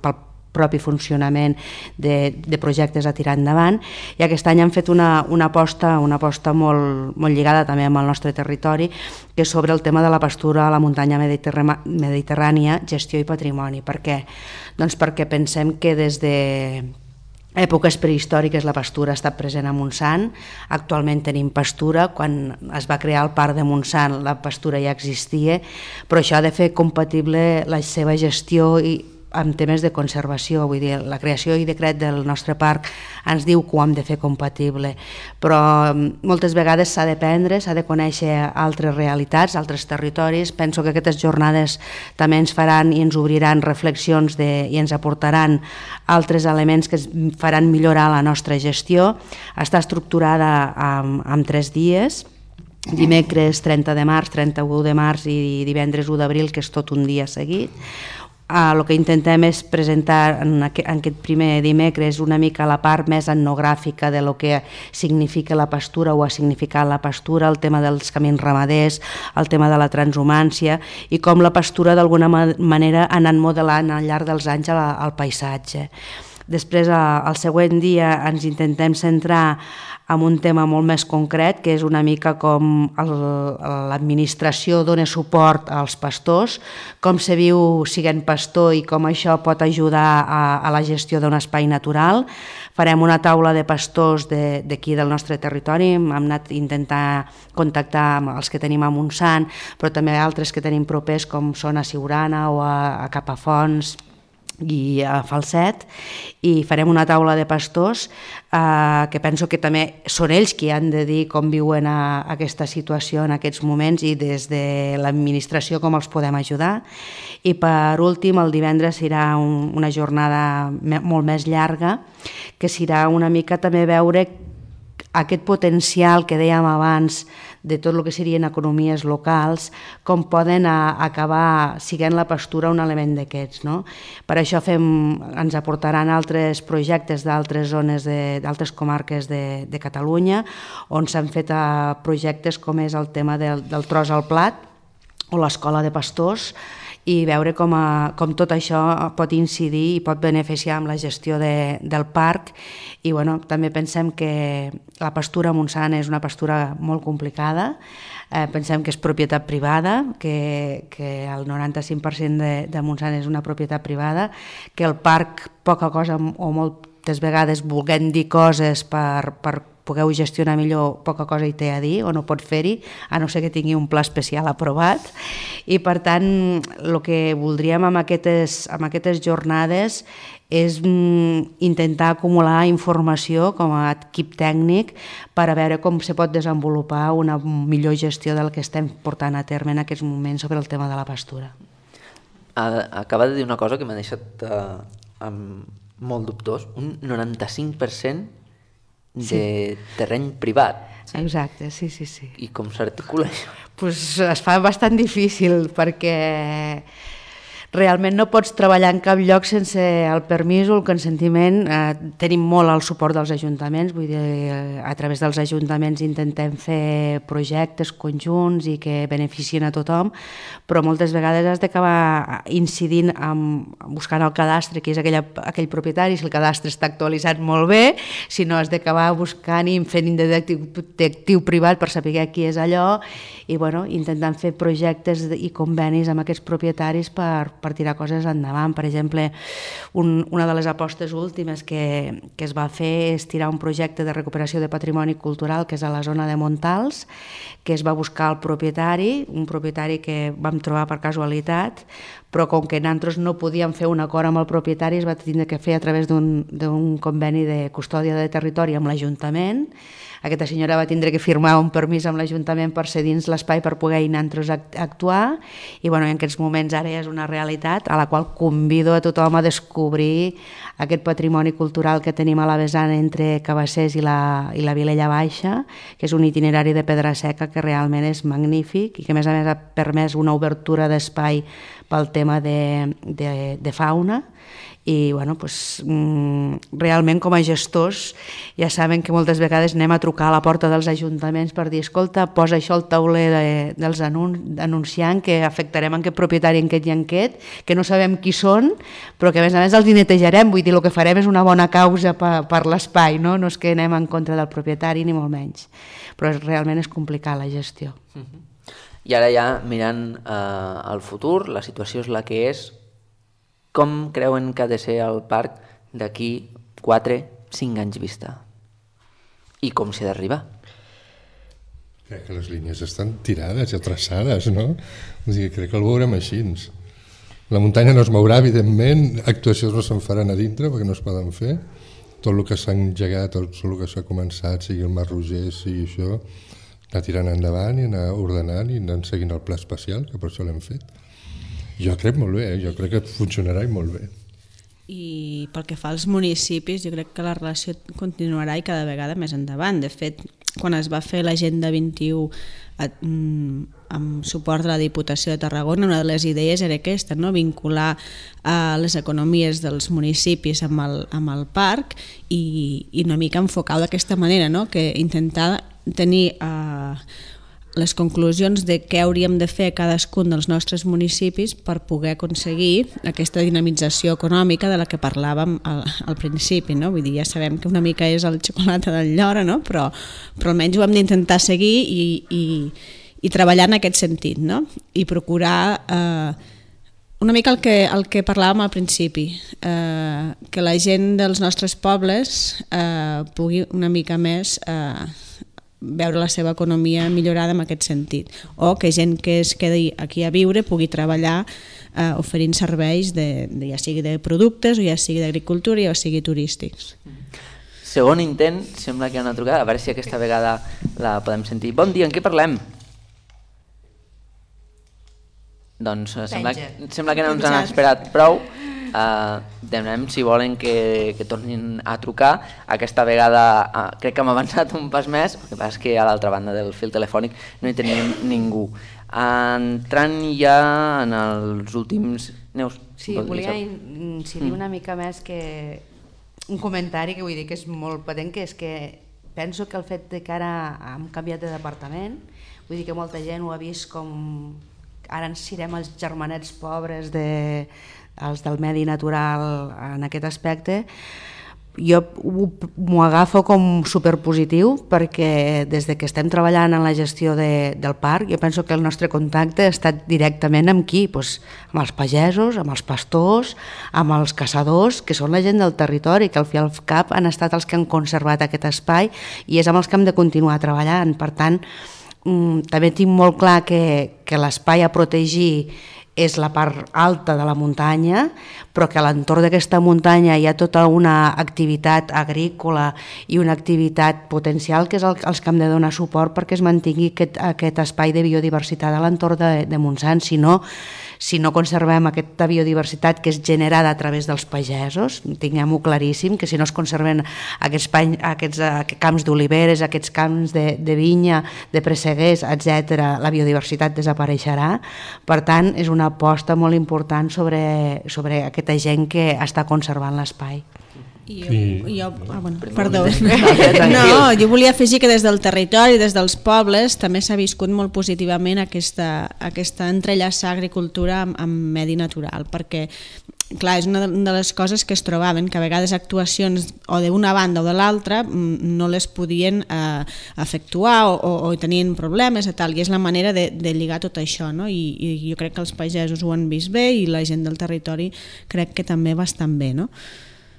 propi funcionament de projectes a tirar endavant, i aquest any han fet una aposta molt lligada també amb el nostre territori, que és sobre el tema de la pastura a la muntanya mediterrània, gestió i patrimoni. Per què? Doncs perquè pensem que des èpoques prehistòriques la pastura ha estat present a Montsant, actualment tenim pastura, quan es va crear el parc de Montsant la pastura ja existia, però això ha de fer compatible la seva gestió amb temes de conservació, vull dir, la creació i decret del nostre parc ens diu que ho hem de fer compatible, però moltes vegades s'ha d'aprendre, s'ha de conèixer altres realitats, altres territoris. Penso que aquestes jornades també ens faran i ens obriran reflexions i ens aportaran altres elements que ens faran millorar la nostra gestió. Està estructurada en 3 dies, dimecres 30 de març, 31 de març i divendres 1 d'abril, que és tot un dia seguit. El que intentem és presentar en aquest primer dimecres una mica la part més etnogràfica de lo que significa la pastura o ha significat la pastura, el tema dels camins ramaders, el tema de la transhumància i com la pastura d'alguna manera ha anat modelant al llarg dels anys el paisatge. Després, el següent dia, ens intentem centrar en un tema molt més concret, que és una mica com l'administració dona suport als pastors, com se viu sent pastor i com això pot ajudar a la gestió d'un espai natural. Farem una taula de pastors d'aquí del nostre territori, hem anat a intentar contactar amb els que tenim a Montsant, però també altres que tenim propers com són a Siurana o a Capafonts i a Falset, i farem una taula de pastors que penso que també són ells qui han de dir com viuen aquesta situació en aquests moments i des de l'administració com els podem ajudar. I per últim, el divendres serà una jornada molt més llarga, que serà una mica també veure aquest potencial que dèiem abans de tot el que serien economies locals, com poden acabar sent la pastura un element d'aquests, no? Per això ens aportaran altres projectes d'altres zones, d'altres comarques de Catalunya, on s'han fet projectes com és el tema del tros al plat o l'escola de pastors, i veure com tot això pot incidir i pot beneficiar amb la gestió del parc. I també pensem que la pastura a Montsant és una pastura molt complicada, pensem que és propietat privada, que el 95% de Montsant és una propietat privada, que el parc poca cosa o moltes vegades volguem dir coses per pugueu gestionar millor, poca cosa hi té a dir o no pot fer-hi, a no ser que tingui un pla especial aprovat. I per tant, el que voldríem amb aquestes jornades és intentar acumular informació com a equip tècnic per a veure com se pot desenvolupar una millor gestió del que estem portant a terme en aquests moments sobre el tema de la pastura. Acaba de dir una cosa que m'ha deixat molt dubtós, un 95% de terreny privat. Exacte, sí. I com s'articula això? Pues es fa bastant difícil perquè realment no pots treballar en cap lloc sense el permís o el consentiment. Tenim molt el suport dels ajuntaments, vull dir, a través dels ajuntaments intentem fer projectes conjunts i que beneficien a tothom, però moltes vegades has d'acabar incidint buscant el cadastre, que és aquell propietari, si el cadastre està actualitzat molt bé, si no has d'acabar buscant i fent detectiu privat per saber qui és allò, i intentant fer projectes i convenis amb aquests propietaris per tirar coses endavant. Per exemple, una de les apostes últimes que es va fer és tirar un projecte de recuperació de patrimoni cultural que és a la zona de Montals, que es va buscar el propietari, un propietari que vam trobar per casualitat, però com que nosaltres no podíem fer un acord amb el propietari es va tindre que fer a través d'un conveni de custòdia de territori amb l'Ajuntament. Aquesta senyora va tindre que firmar un permís amb l'Ajuntament per ser dins l'espai per poder nosaltres actuar, i en aquests moments ara és una realitat a la qual convido a tothom a descobrir aquest patrimoni cultural que tenim a la vessant entre Cabassers i la Vilella Baixa, que és un itinerari de pedra seca que realment és magnífic i que a més ha permès una obertura d'espai pel tema de fauna. I realment com a gestors ja saben que moltes vegades anem a trucar a la porta dels ajuntaments per dir, escolta, posa això al tauler dels anunciant que afectarem aquest propietari en aquest, que no sabem qui són, però que a més els netejarem, vull dir, el que farem és una bona causa per l'espai, no és que anem en contra del propietari ni molt menys, però realment és complicat la gestió. I ara ja mirant al futur, la situació és la que és. Com creuen que ha de ser el parc d'aquí 4, 5 anys vista? I com s'hi ha d'arribar? Crec que les línies estan tirades i traçades, no? Crec que el veurem així. La muntanya no es mourà, evidentment, actuacions no se'n faran a dintre perquè no es poden fer. Tot el que s'ha engegat, tot el que s'ha començat, sigui el Mar Roger, sigui això, anar tirant endavant i anar ordenant i anar seguint el pla especial, que per això l'hem fet. Jo crec molt bé, jo crec que funcionarà i molt bé. I pel que fa als municipis, jo crec que la relació continuarà i cada vegada més endavant. De fet, quan es va fer l'Agenda 21 amb suport de la Diputació de Tarragona, una de les idees era aquesta, no? Vincular les economies dels municipis amb el parc i una mica enfocar d'aquesta manera, no? Que intentar tenir les conclusions de què hauríem de fer cadascun dels nostres municipis per poder aconseguir aquesta dinamització econòmica de la que parlàvem al principi, no? Vull dir, ja sabem que una mica és el xocolata del Llora, no? Però almenys ho hem d'intentar seguir i treballar en aquest sentit, no? I procurar una mica el que parlàvem al principi, que la gent dels nostres pobles pugui una mica més veure la seva economia millorada en aquest sentit, o que gent que es quedi aquí a viure pugui treballar oferint serveis ja sigui de productes o ja sigui d'agricultura o ja sigui turístics. Segon intent, sembla que hi ha una trucada, a veure si aquesta vegada la podem sentir. Bon dia, en què parlem? Doncs sembla que no ens han esperat prou. Demanem si volen que tornin a trucar. Aquesta vegada crec que hem avançat un pas més, el que passa és que a l'altra banda del fil telefònic no hi tenim ningú. Entrant ja en els últims... Neus? Sí, volia incidir una mica més que un comentari que vull dir que és molt patent, que és que penso que el fet que ara hem canviat de departament, vull dir que molta gent ho ha vist com ara ens serem els germanets pobres els del medi natural en aquest aspecte. Jo m'ho agafo com superpositiu perquè des que estem treballant en la gestió del parc jo penso que el nostre contacte ha estat directament amb qui? Amb els pagesos, amb els pastors, amb els caçadors, que són la gent del territori, que al fi i al cap han estat els que han conservat aquest espai i és amb els que hem de continuar treballant. Per tant, també tinc molt clar que l'espai a protegir és la part alta de la muntanya, però que a l'entorn d'aquesta muntanya hi ha tota una activitat agrícola i una activitat potencial que és els que hem de donar suport perquè es mantingui aquest espai de biodiversitat a l'entorn de Montsant. Si no conservem aquesta biodiversitat que és generada a través dels pagesos, tinguem-ho claríssim, que si no es conserven aquests camps d'oliveres, aquests camps de vinya, de presseguers, etc., la biodiversitat desapareixerà. Per tant, és una aposta molt important sobre aquesta gent que està conservant l'espai. Perdó. No, jo volia afegir que des del territori, des dels pobles, també s'ha viscut molt positivament aquesta entrellaçar agricultura amb medi natural, perquè clar, és una de les coses que es trobaven, que a vegades actuacions o d'una banda o de l'altra no les podien efectuar o tenien problemes i tal, i és la manera de lligar tot això, no? I jo crec que els pagesos ho han vist bé i la gent del territori crec que també bastant bé, no?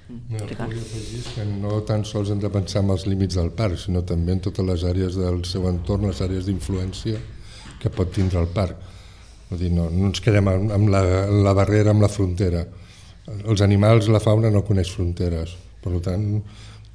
El que volia afegir és que no tan sols hem de pensar en els límits del parc, sinó també en totes les àrees del seu entorn, les àrees d'influència que pot tindre el parc. Vull dir, no ens quedem amb la barrera, amb la frontera. Els animals, la fauna no coneix fronteres, per tant,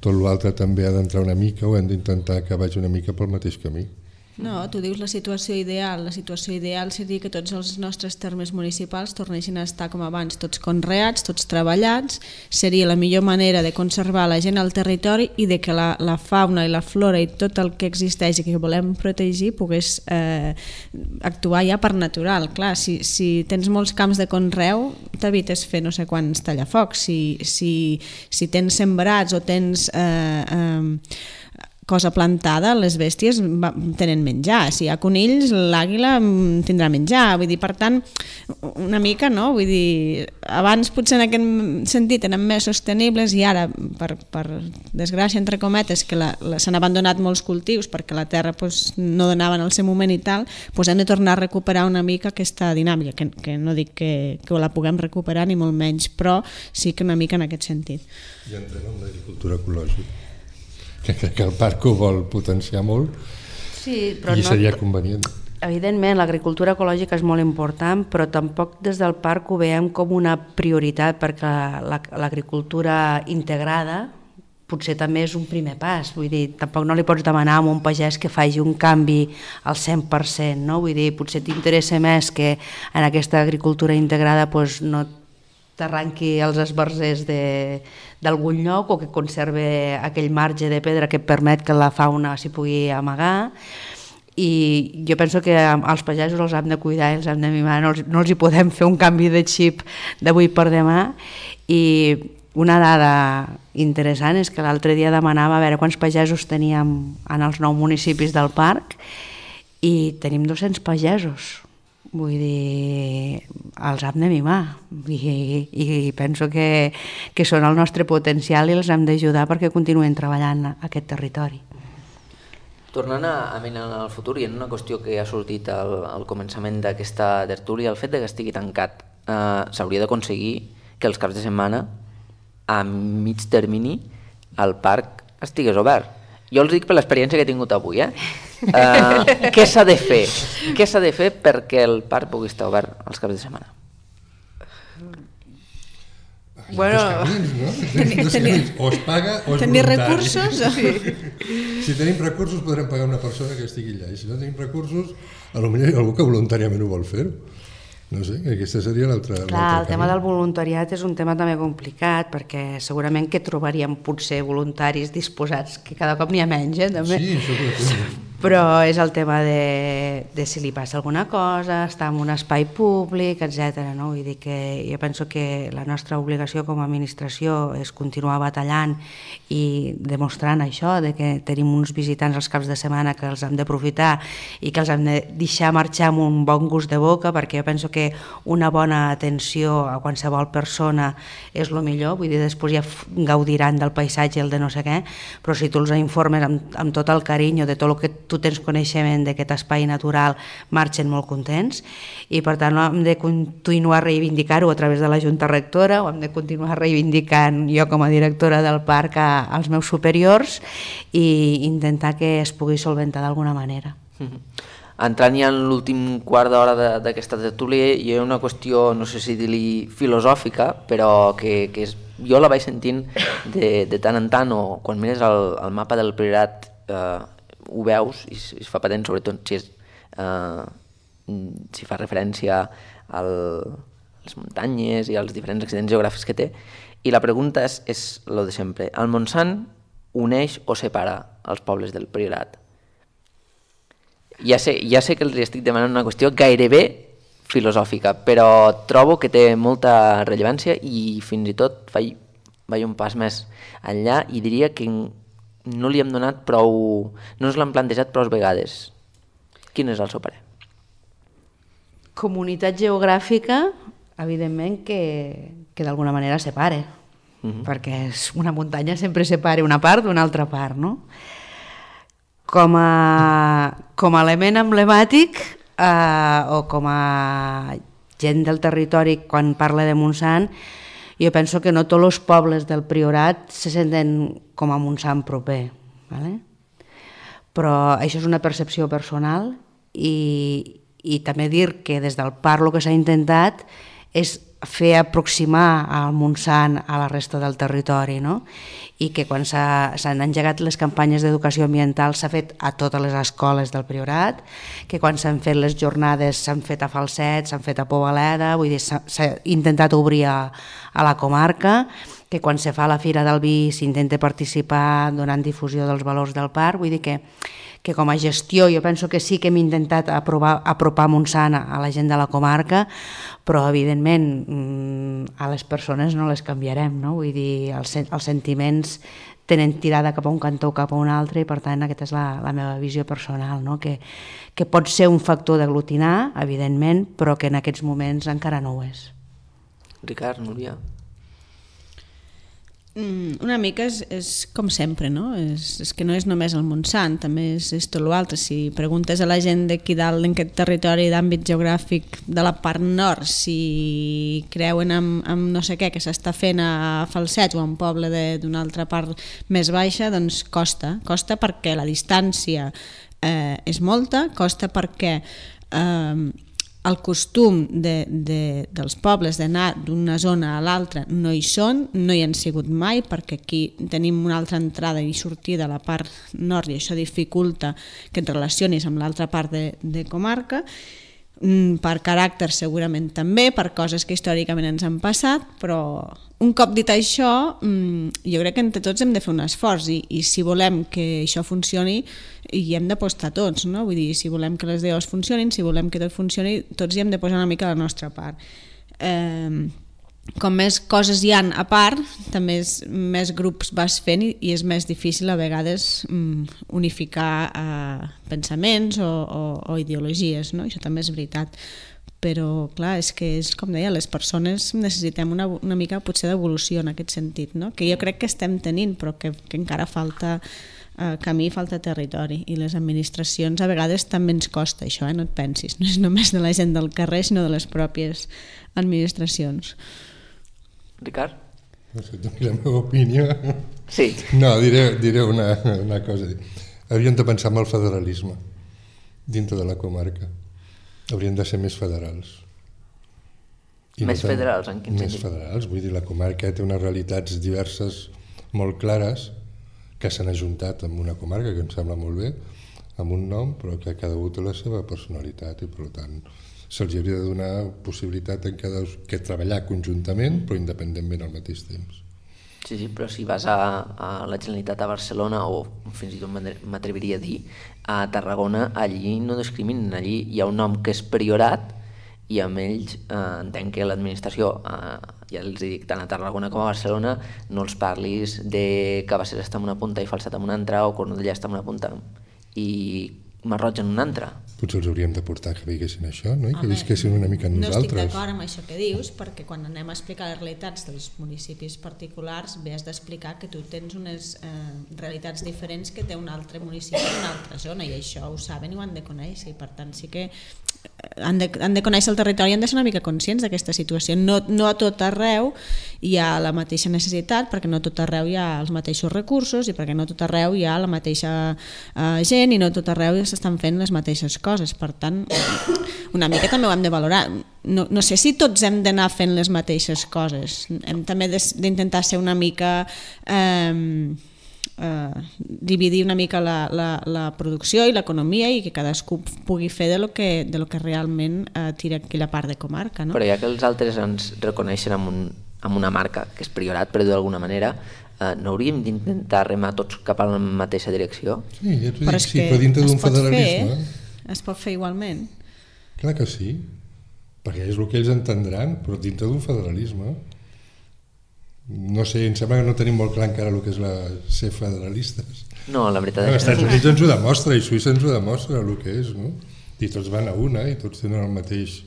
tot l'altre també ha d'entrar una mica o hem d'intentar que vagi una mica pel mateix camí. No, tu dius la situació ideal. La situació ideal seria que tots els nostres termes municipals tornessin a estar com abans, tots conreats, tots treballats. Seria la millor manera de conservar la gent al territori i de que la fauna i la flora i tot el que existeix i que volem protegir pogués actuar ja per natural. Clar, si tens molts camps de conreu, t'evites fer no sé quants tallafocs. Si tens sembrats o tens cosa plantada, les bèsties tenen menjar. Si hi ha conills, l'àguila tindrà menjar. Vull dir, per tant, una mica, no? Vull dir, abans potser en aquest sentit eren més sostenibles i ara, per desgràcia, entre cometes, que s'han abandonat molts cultius perquè la terra no donava en el seu moment i tal, hem de tornar a recuperar una mica aquesta dinàmica, que no dic que la puguem recuperar ni molt menys, però sí que una mica en aquest sentit. I entrem en l'agricultura ecològica, que el parc ho vol potenciar molt, sí, però i seria convenient. Evidentment, l'agricultura ecològica és molt important, però tampoc des del parc ho veiem com una prioritat, perquè l'agricultura integrada potser també és un primer pas. Vull dir, tampoc no li pots demanar a un pagès que faci un canvi al 100%, no? Vull dir, potser t'interessa més que en aquesta agricultura integrada no t'arranqui els esbarzers d'algun lloc o que conserve aquell marge de pedra que permet que la fauna s'hi pugui amagar. I jo penso que els pagesos els hem de cuidar i els hem de mimar, no els hi podem fer un canvi de xip d'avui per demà. I una dada interessant és que l'altre dia demanava a veure quants pagesos teníem en els 9 municipis del parc i tenim 200 pagesos. Vull dir, els hem de mimar i penso que són el nostre potencial i els hem d'ajudar perquè continuïn treballant a aquest territori. Tornant a mirar en el futur i en una qüestió que ha sortit al començament d'aquesta tertúlia, el fet que estigui tancat s'hauria d'aconseguir que els caps de setmana a mig termini el parc estigués obert. Jo els dic per l'experiència que he tingut avui, què s'ha de fer? Què s'ha de fer perquè el parc pugui estar obert els caps de setmana? Bueno, o es paga o és voluntari. Tenir recursos? Si tenim recursos podrem pagar una persona que estigui allà, i si no tenim recursos, potser hi ha algú que voluntàriament ho vol fer. No sé, aquesta seria l'altra. Clar, el tema del voluntariat és un tema també complicat, perquè segurament que trobaríem potser voluntaris disposats, que cada cop n'hi ha menys, també. Sí, això ho però és el tema de si li passa alguna cosa, estar en un espai públic, etc. No? Vull dir que jo penso que la nostra obligació com a administració és continuar batallant i demostrant això, de que tenim uns visitants als caps de setmana que els hem d'aprofitar i que els hem de deixar marxar amb un bon gust de boca, perquè jo penso que una bona atenció a qualsevol persona és el millor, vull dir, després ja gaudiran del paisatge i el de no sé què, però si tu els informes amb tot el carinyo de tot el que tu tens coneixement d'aquest espai natural, marxen molt contents i per tant hem de continuar a reivindicar-ho a través de la Junta Rectora, o hem de continuar reivindicant jo com a directora del parc als meus superiors i intentar que es pugui solventar d'alguna manera. Entrant ja en l'últim quart d'hora d'aquesta tertúlia, hi ha una qüestió, no sé si dir-li filosòfica, però que jo la vaig sentint de tant en tant, o quan mires el mapa del Priorat ho veus i es fa patent, sobretot si fa referència a les muntanyes i als diferents accidents geogràfics que té. I la pregunta és el de sempre. El Montsant uneix o separa els pobles del Priorat? Ja sé que els estic demanant una qüestió gairebé filosòfica, però trobo que té molta rellevància i fins i tot vaig un pas més enllà i diria que no li hem donat prou, no ens l'han plantejat prou vegades. Quin és el seu parer? Comunitat geogràfica, evidentment que d'alguna manera separa, perquè una muntanya sempre separa una part d'una altra part, no? Com a element emblemàtic o com a gent del territori quan parla de Montsant, jo penso que no tots els pobles del Priorat se senten com a Montsant proper, ¿vale? Però això és una percepció personal i també dir que des del parc el que s'ha intentat és fer aproximar el Montsant a la resta del territori, no? I que quan s'han engegat les campanyes d'educació ambiental s'ha fet a totes les escoles del Priorat, que quan s'han fet les jornades s'han fet a Falset, s'han fet a Pobaleda, vull dir, s'ha intentat obrir a la comarca, que quan se fa la Fira del Vi s'intenta participar donant difusió dels valors del parc, vull dir que com a gestió jo penso que sí que hem intentat apropar Montsant a la gent de la comarca, però evidentment a les persones no les canviarem, no? Vull dir, els sentiments tenen tirada cap a un cantó o cap a un altre, i per tant aquesta és la meva visió personal, no? que pot ser un factor d'aglutinar, evidentment, però que en aquests moments encara no ho és. Ricard, Núria? Una mica és com sempre, no? És que no és només el Montsant, també és tot l'altre. Si preguntes a la gent d'aquí dalt en aquest territori d'àmbit geogràfic de la part nord si creuen en no sé què que s'està fent a Falset o a un poble d'una altra part més baixa, doncs costa perquè la distància és molta, costa perquè el costum dels pobles d'anar d'una zona a l'altra no hi són, no hi han sigut mai, perquè aquí tenim una altra entrada i sortida a la part nord i això dificulta que et relacionis amb l'altra part de comarca. Per caràcter segurament també, per coses que històricament ens han passat, però un cop dit això jo crec que entre tots hem de fer un esforç i si volem que això funcioni hi hem d'apostar tots, no? Vull dir, si volem que les DOs funcionin, si volem que tot funcioni, tots hi hem de posar una mica la nostra part. Com més coses hi han a part, també més grups vas fent i és més difícil a vegades unificar pensaments o ideologies, no? Això també és veritat. Però clar, és que és com deia, les persones necessitem una mica potser d'evolució en aquest sentit, no? Que jo crec que estem tenint, però que encara falta camí, falta territori, i les administracions a vegades també ens costa això, no et pensis, no és només de la gent del carrer sinó de les pròpies administracions. Ricard? No sé, la meva opinió. Sí. No, diré una cosa. Hauríem de pensar en el federalisme dintre de la comarca. Haurien de ser més federals. Més federals, en quin sentit? Més federals, vull dir, la comarca té unes realitats diverses molt clares que s'han ajuntat en una comarca, que em sembla molt bé, amb un nom, però que cada un té la seva personalitat i per tant se'ls hauria de donar possibilitat en que treballar conjuntament però independentment al mateix temps. Sí, però si vas a la Generalitat a Barcelona o fins i tot m'atreviria a dir a Tarragona, allí no discriminen, allí hi ha un nom que és Priorat i amb ells entenc que l'administració, ja els dic, tant a Tarragona com a Barcelona, no els parlis de Cabassers està en una punta i Falset en una altra o Cornudella està en una punta i Masroig en una altra. Potser els hauríem de portar que veiessin això, no? I que visquessin una mica en nosaltres. No estic d'acord amb això que dius, perquè quan anem a explicar les realitats dels municipis particulars bé has d'explicar que tu tens unes realitats diferents que té un altre municipi en una altra zona, i això ho saben i ho han de conèixer, i per tant sí que han de conèixer el territori i han de ser una mica conscients d'aquesta situació. No a tot arreu hi ha la mateixa necessitat, perquè no a tot arreu hi ha els mateixos recursos i perquè no a tot arreu hi ha la mateixa gent i no a tot arreu s'estan fent les mateixes coses. Per tant, una mica també ho hem de valorar. No sé si tots hem d'anar fent les mateixes coses. Hem també d'intentar ser una mica... dividir una mica la producció i l'economia i que cadascú pugui fer de lo que realment tira aquella part de comarca, no? Però ja que els altres ens reconeixen amb una marca que és Priorat, però d'alguna manera no hauríem d'intentar remar tots cap a la mateixa direcció? Sí, ja t'ho dic, sí, però dintre d'un federalisme es pot fer igualment. Clar que sí, perquè és el que ells entendran, però dintre d'un federalisme. No sé, em sembla que no tenim molt clar encara el que és ser federalistes. No, la veritat és que... Els Estats Units ens ho demostra i Suïssa ens ho demostra el que és, no? I tots van a una i tots tenen el mateix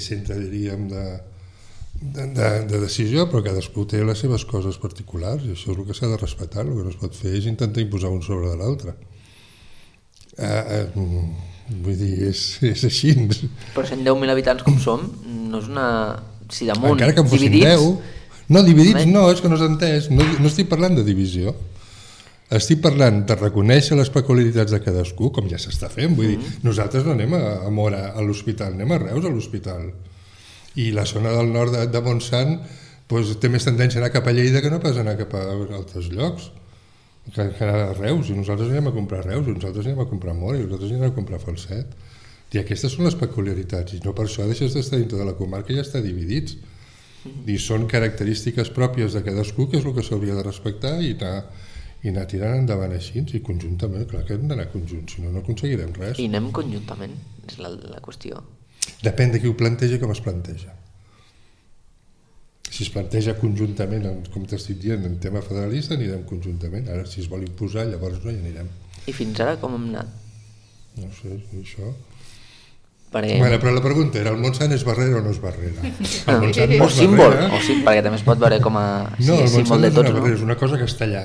centre, diríem, de decisió, però cadascú té les seves coses particulars i això és el que s'ha de respectar. El que no es pot fer és intentar imposar un sobre de l'altre. Vull dir, és així. Però 110.000 habitants com som, no és una... Si damunt encara que en fossin dividits... 10... No, dividits no, és que no s'ha entès. No estic parlant de divisió. Estic parlant de reconèixer les peculiaritats de cadascú, com ja s'està fent. Vull dir, nosaltres no anem a Móra a l'hospital, anem a Reus a l'hospital. I la zona del nord de Montsant té més tendència a anar cap a Lleida que no pas anar cap a altres llocs. Que anar a Reus, i nosaltres anem a comprar Reus, i nosaltres anem a comprar Móra, i nosaltres anem a comprar Falset. I aquestes són les peculiaritats, i no per això deixes d'estar dintre de la comarca i ja està dividits. I són característiques pròpies de cadascú, que és el que s'hauria de respectar i anar tirant endavant així, i conjuntament, clar que hem d'anar conjunts, si no, no aconseguirem res. I anem conjuntament, és la qüestió. Depèn de qui ho planteja i com es planteja. Si es planteja conjuntament, com t'estic dient, en tema federalista, anirem conjuntament. Ara, si es vol imposar, llavors no hi anirem. I fins ara com hem anat? No sé, això... Perquè... Bueno, però la pregunta era, el Montsant és barrera o no és barrera? El Montsant o símbol, o sí, perquè també es pot veure com a no, el símbol de tots, no? És una cosa castellà,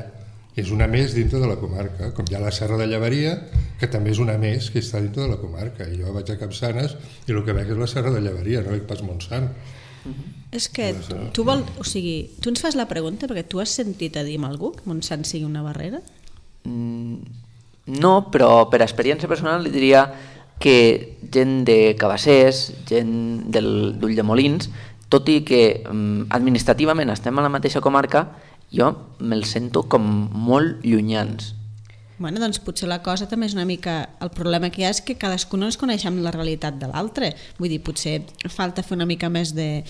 és una més dintre de la comarca, com hi ha la Serra de Llevaria, que també és una més que està dintre de la comarca. I jo vaig a Capçanes i el que veig és la Serra de Llevaria, no veig pas Montsant. És que tu ens fas la pregunta perquè tu has sentit a dir amb algú que Montsant sigui una barrera? No, però per experiència personal li diria que gent de Cabassers, gent d'Ulldemolins, tot i que administrativament estem a la mateixa comarca, jo me'ls sento com molt llunyans. Bueno, doncs potser la cosa també és una mica... El problema que hi ha és que cadascú no ens coneixem la realitat de l'altre. Vull dir, potser falta fer una mica més de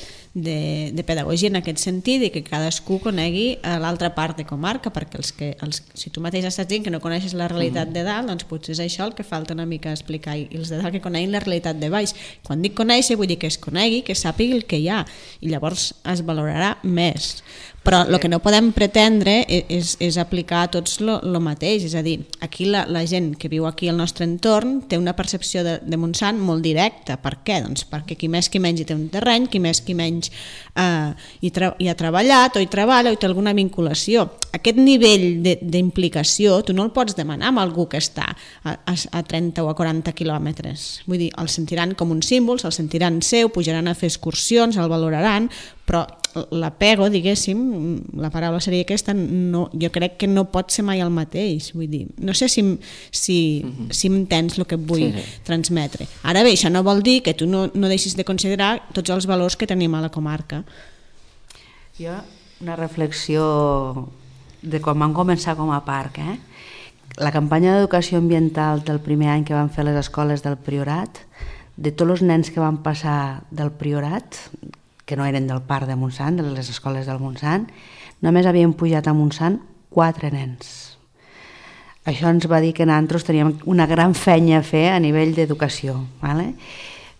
pedagogia en aquest sentit i que cadascú conegui l'altra part de comarca, perquè si tu mateix estàs dient que no coneixes la realitat de dalt, doncs potser és això el que falta una mica explicar, i els de dalt que coneguin la realitat de baix. Quan dic conèixer vull dir que es conegui, que sàpigui el que hi ha, i llavors es valorarà més. Però el que no podem pretendre és aplicar a tots el mateix, és a dir, aquí la gent que viu aquí al nostre entorn té una percepció de Montsant molt directa. Per què? Doncs perquè qui més qui menys hi té un terreny, qui més qui menys hi ha treballat o hi treballa o hi té alguna vinculació. Aquest nivell d'implicació tu no el pots demanar amb algú que està a 30 o a 40 quilòmetres. Vull dir, el sentiran com un símbol, se'l sentiran seu, pujaran a fer excursions, el valoraran, però l'apego, diguéssim, la paraula seria aquesta, no, jo crec que no pot ser mai el mateix. Vull dir, no sé si entens el que et vull transmetre. Ara bé, això no vol dir que tu no deixis de considerar tots els valors que tenim a la comarca. Jo, una reflexió de quan vam començar com a parc. La campanya d'educació ambiental del primer any que van fer les escoles del Priorat, de tots els nens que van passar del Priorat, que no eren del parc de Montsant, de les escoles del Montsant, només havien pujat a Montsant 4 nens. Això ens va dir que nosaltres teníem una gran feina a fer a nivell d'educació.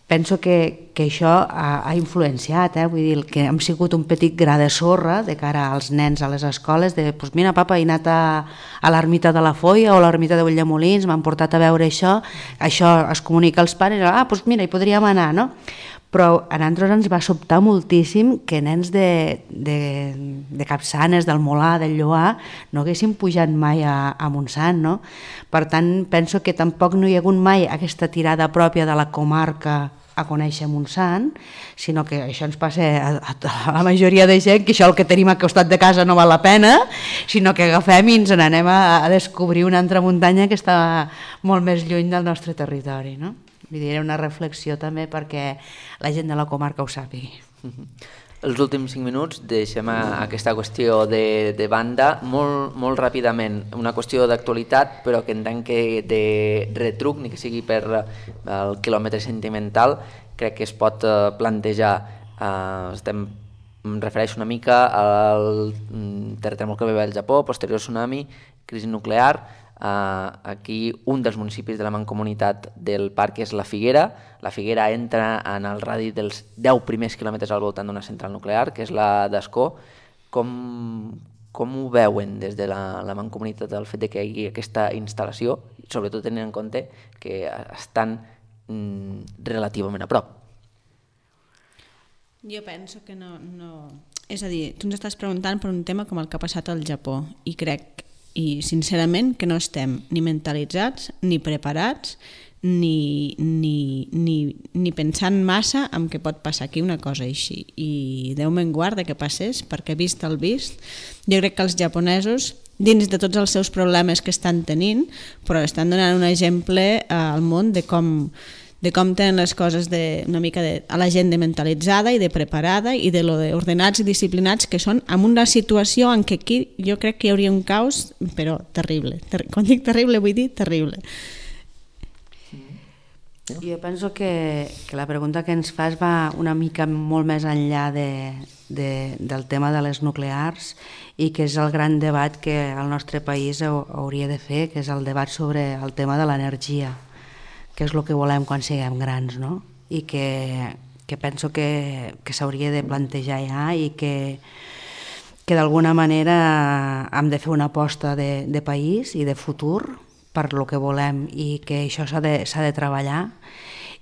Penso que això ha influenciat, vull dir, que hem sigut un petit gra de sorra de cara als nens a les escoles, de, doncs mira, papa, he anat a l'ermita de la Foia o a l'ermita de Ulldemolins, m'han portat a veure això es comunica als pares, doncs mira, hi podríem anar, no? Però a nosaltres ens va sobtar moltíssim que nens de Capçanes, del Molar, del Lloar, no haguessin pujat mai a Montsant, no? Per tant, penso que tampoc no hi ha hagut mai aquesta tirada pròpia de la comarca a conèixer Montsant, sinó que això ens passa a la majoria de gent, que això el que tenim al costat de casa no val la pena, sinó que agafem i ens n'anem a descobrir una altra muntanya que està molt més lluny del nostre territori, no? Vull dir, era una reflexió també perquè la gent de la comarca ho sàpigui. Els últims 5 minuts deixem aquesta qüestió de banda molt ràpidament. Una qüestió d'actualitat, però que entenc que de retruc, ni que sigui per el quilòmetre sentimental, crec que es pot plantejar. Em refereixo una mica al terratrèmol que va haver al Japó, posterior tsunami, crisi nuclear. Aquí un dels municipis de la mancomunitat del parc és la Figuera. La Figuera entra en el radi dels 10 primers quilòmetres al voltant d'una central nuclear, que és la d'Ascó. Com ho veuen des de la mancomunitat el fet que hi hagi aquesta instal·lació, sobretot tenint en compte que estan relativament a prop? Jo penso que no... És a dir, tu ens estàs preguntant per un tema com el que ha passat al Japó, i crec sincerament que no estem ni mentalitzats, ni preparats, ni pensant massa en què pot passar aquí una cosa així. I Déu me'n guarda que passés, perquè vist el vist, jo crec que els japonesos, dins de tots els seus problemes que estan tenint, però estan donant un exemple al món de com tenen les coses una mica a la gent de mentalitzada i de preparada i de lo de ordenats i disciplinats que són, en una situació en què aquí jo crec que hi hauria un caos, però terrible. Quan dic terrible vull dir terrible. Jo penso que la pregunta que ens fas va una mica molt més enllà del tema de les nuclears i que és el gran debat que el nostre país hauria de fer, que és el debat sobre el tema de l'energia, que és el que volem quan siguem grans, no? I que penso que s'hauria de plantejar ja i que d'alguna manera hem de fer una aposta de país i de futur per lo que volem i que això s'ha de treballar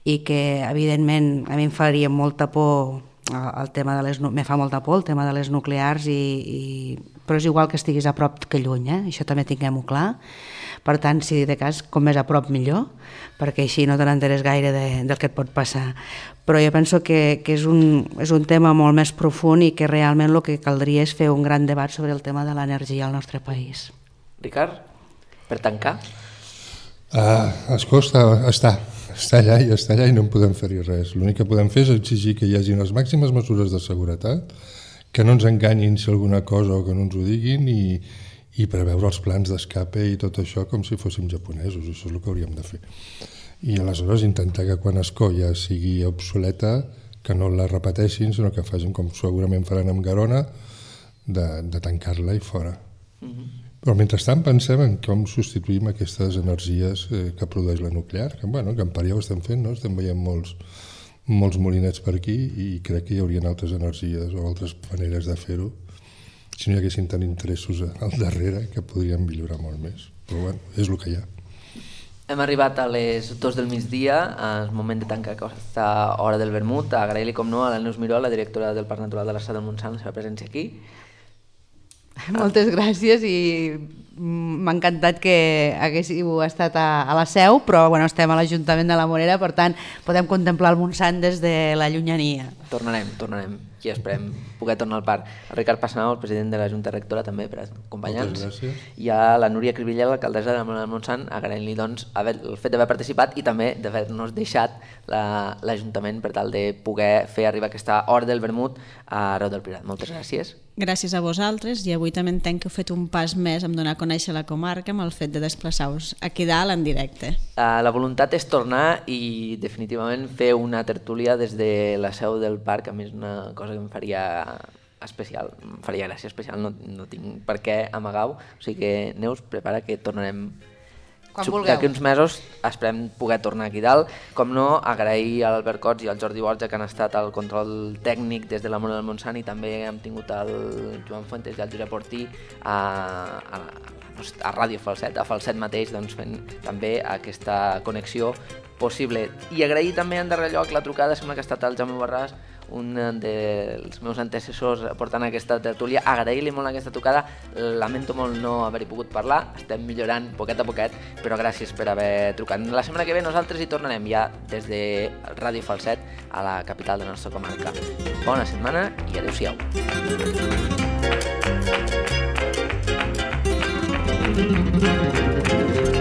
i que evidentment a mi em faria molta por el tema me fa molta por el tema de les nuclears però és igual que estiguis a prop que lluny, això també tinguem-ho clar. Per tant, si de cas, com més a prop millor, perquè així no te n'enteres gaire del que et pot passar. Però jo penso que és un tema molt més profund i que realment el que caldria és fer un gran debat sobre el tema de l'energia al nostre país. Ricard, per tancar? Es costa, està allà i no en podem fer-hi res. L'únic que podem fer és exigir que hi hagi les màximes mesures de seguretat, que no ens enganyin si alguna cosa o que no ens ho diguin i preveure els plans d'escape i tot això com si fóssim japonesos, això és el que hauríem de fer. I aleshores intentar que quan Escolla sigui obsoleta que no la repeteixin, sinó que facin com segurament faran amb Garona, de tancar-la i fora. Però mentrestant pensem en com substituïm aquestes energies que produeix la nuclear, que en part ja ho estem fent, no? Estem veient molts molinets per aquí i crec que hi haurien altres energies o altres maneres de fer-ho si no hi haguessin tant interessos al darrere que podrien millorar molt més. Però és el que hi ha. Hem arribat a les 2 del migdia, és moment de tancar aquesta hora del vermut. Agrair-li, com no, a la Neus Miró, la directora del Parc Natural de l'Estrat del Montsant, la seva presència aquí. Moltes gràcies i m'ha encantat que haguéssiu estat a la Seu, però estem a l'Ajuntament de la Morera, per tant podem contemplar el Montsant des de la llunyania. Tornarem i esperem poder tornar al parc. El Ricard Passanau, el president de la Junta Rectora, també per acompanyar-nos. Moltes gràcies. I a la Núria Cribillel, l'alcaldessa de la Morera del Montsant, agraint-li el fet d'haver participat i també d'haver-nos deixat l'Ajuntament per tal de poder fer arribar aquesta hora del vermut arreu del Priorat. Moltes gràcies. Gràcies a vosaltres i avui també entenc que heu fet un pas més en donar a conèixer la comarca amb el fet de desplaçar-vos aquí dalt en directe. La voluntat és tornar i definitivament fer una tertúlia des de la seu del parc, a mi és una cosa que em faria especial, em faria gràcia especial, no tinc per què amagar-ho, o sigui que Neus, prepara que tornarem d'aquí uns mesos, esperem poder tornar aquí dalt. Com no, agrair a l'Albert Cots i al Jordi Borja que han estat al control tècnic des de la Morera del Montsant i també hem tingut el Joan Fuentes i el Josep Ortí a Ràdio Falset, a Falset mateix, fent també aquesta connexió possible. I agrair també en darrer lloc la trucada, sembla que ha estat el Jaume Borràs, un dels meus antecessors portant aquesta tertúlia. Agrair-li molt aquesta trucada, lamento molt no haver-hi pogut parlar, estem millorant poquet a poquet, però gràcies per haver trucat. La setmana que ve nosaltres hi tornarem ja des de Ràdio Falset a la capital de la nostra comarca. Bona setmana i adeu-siau. Thank you.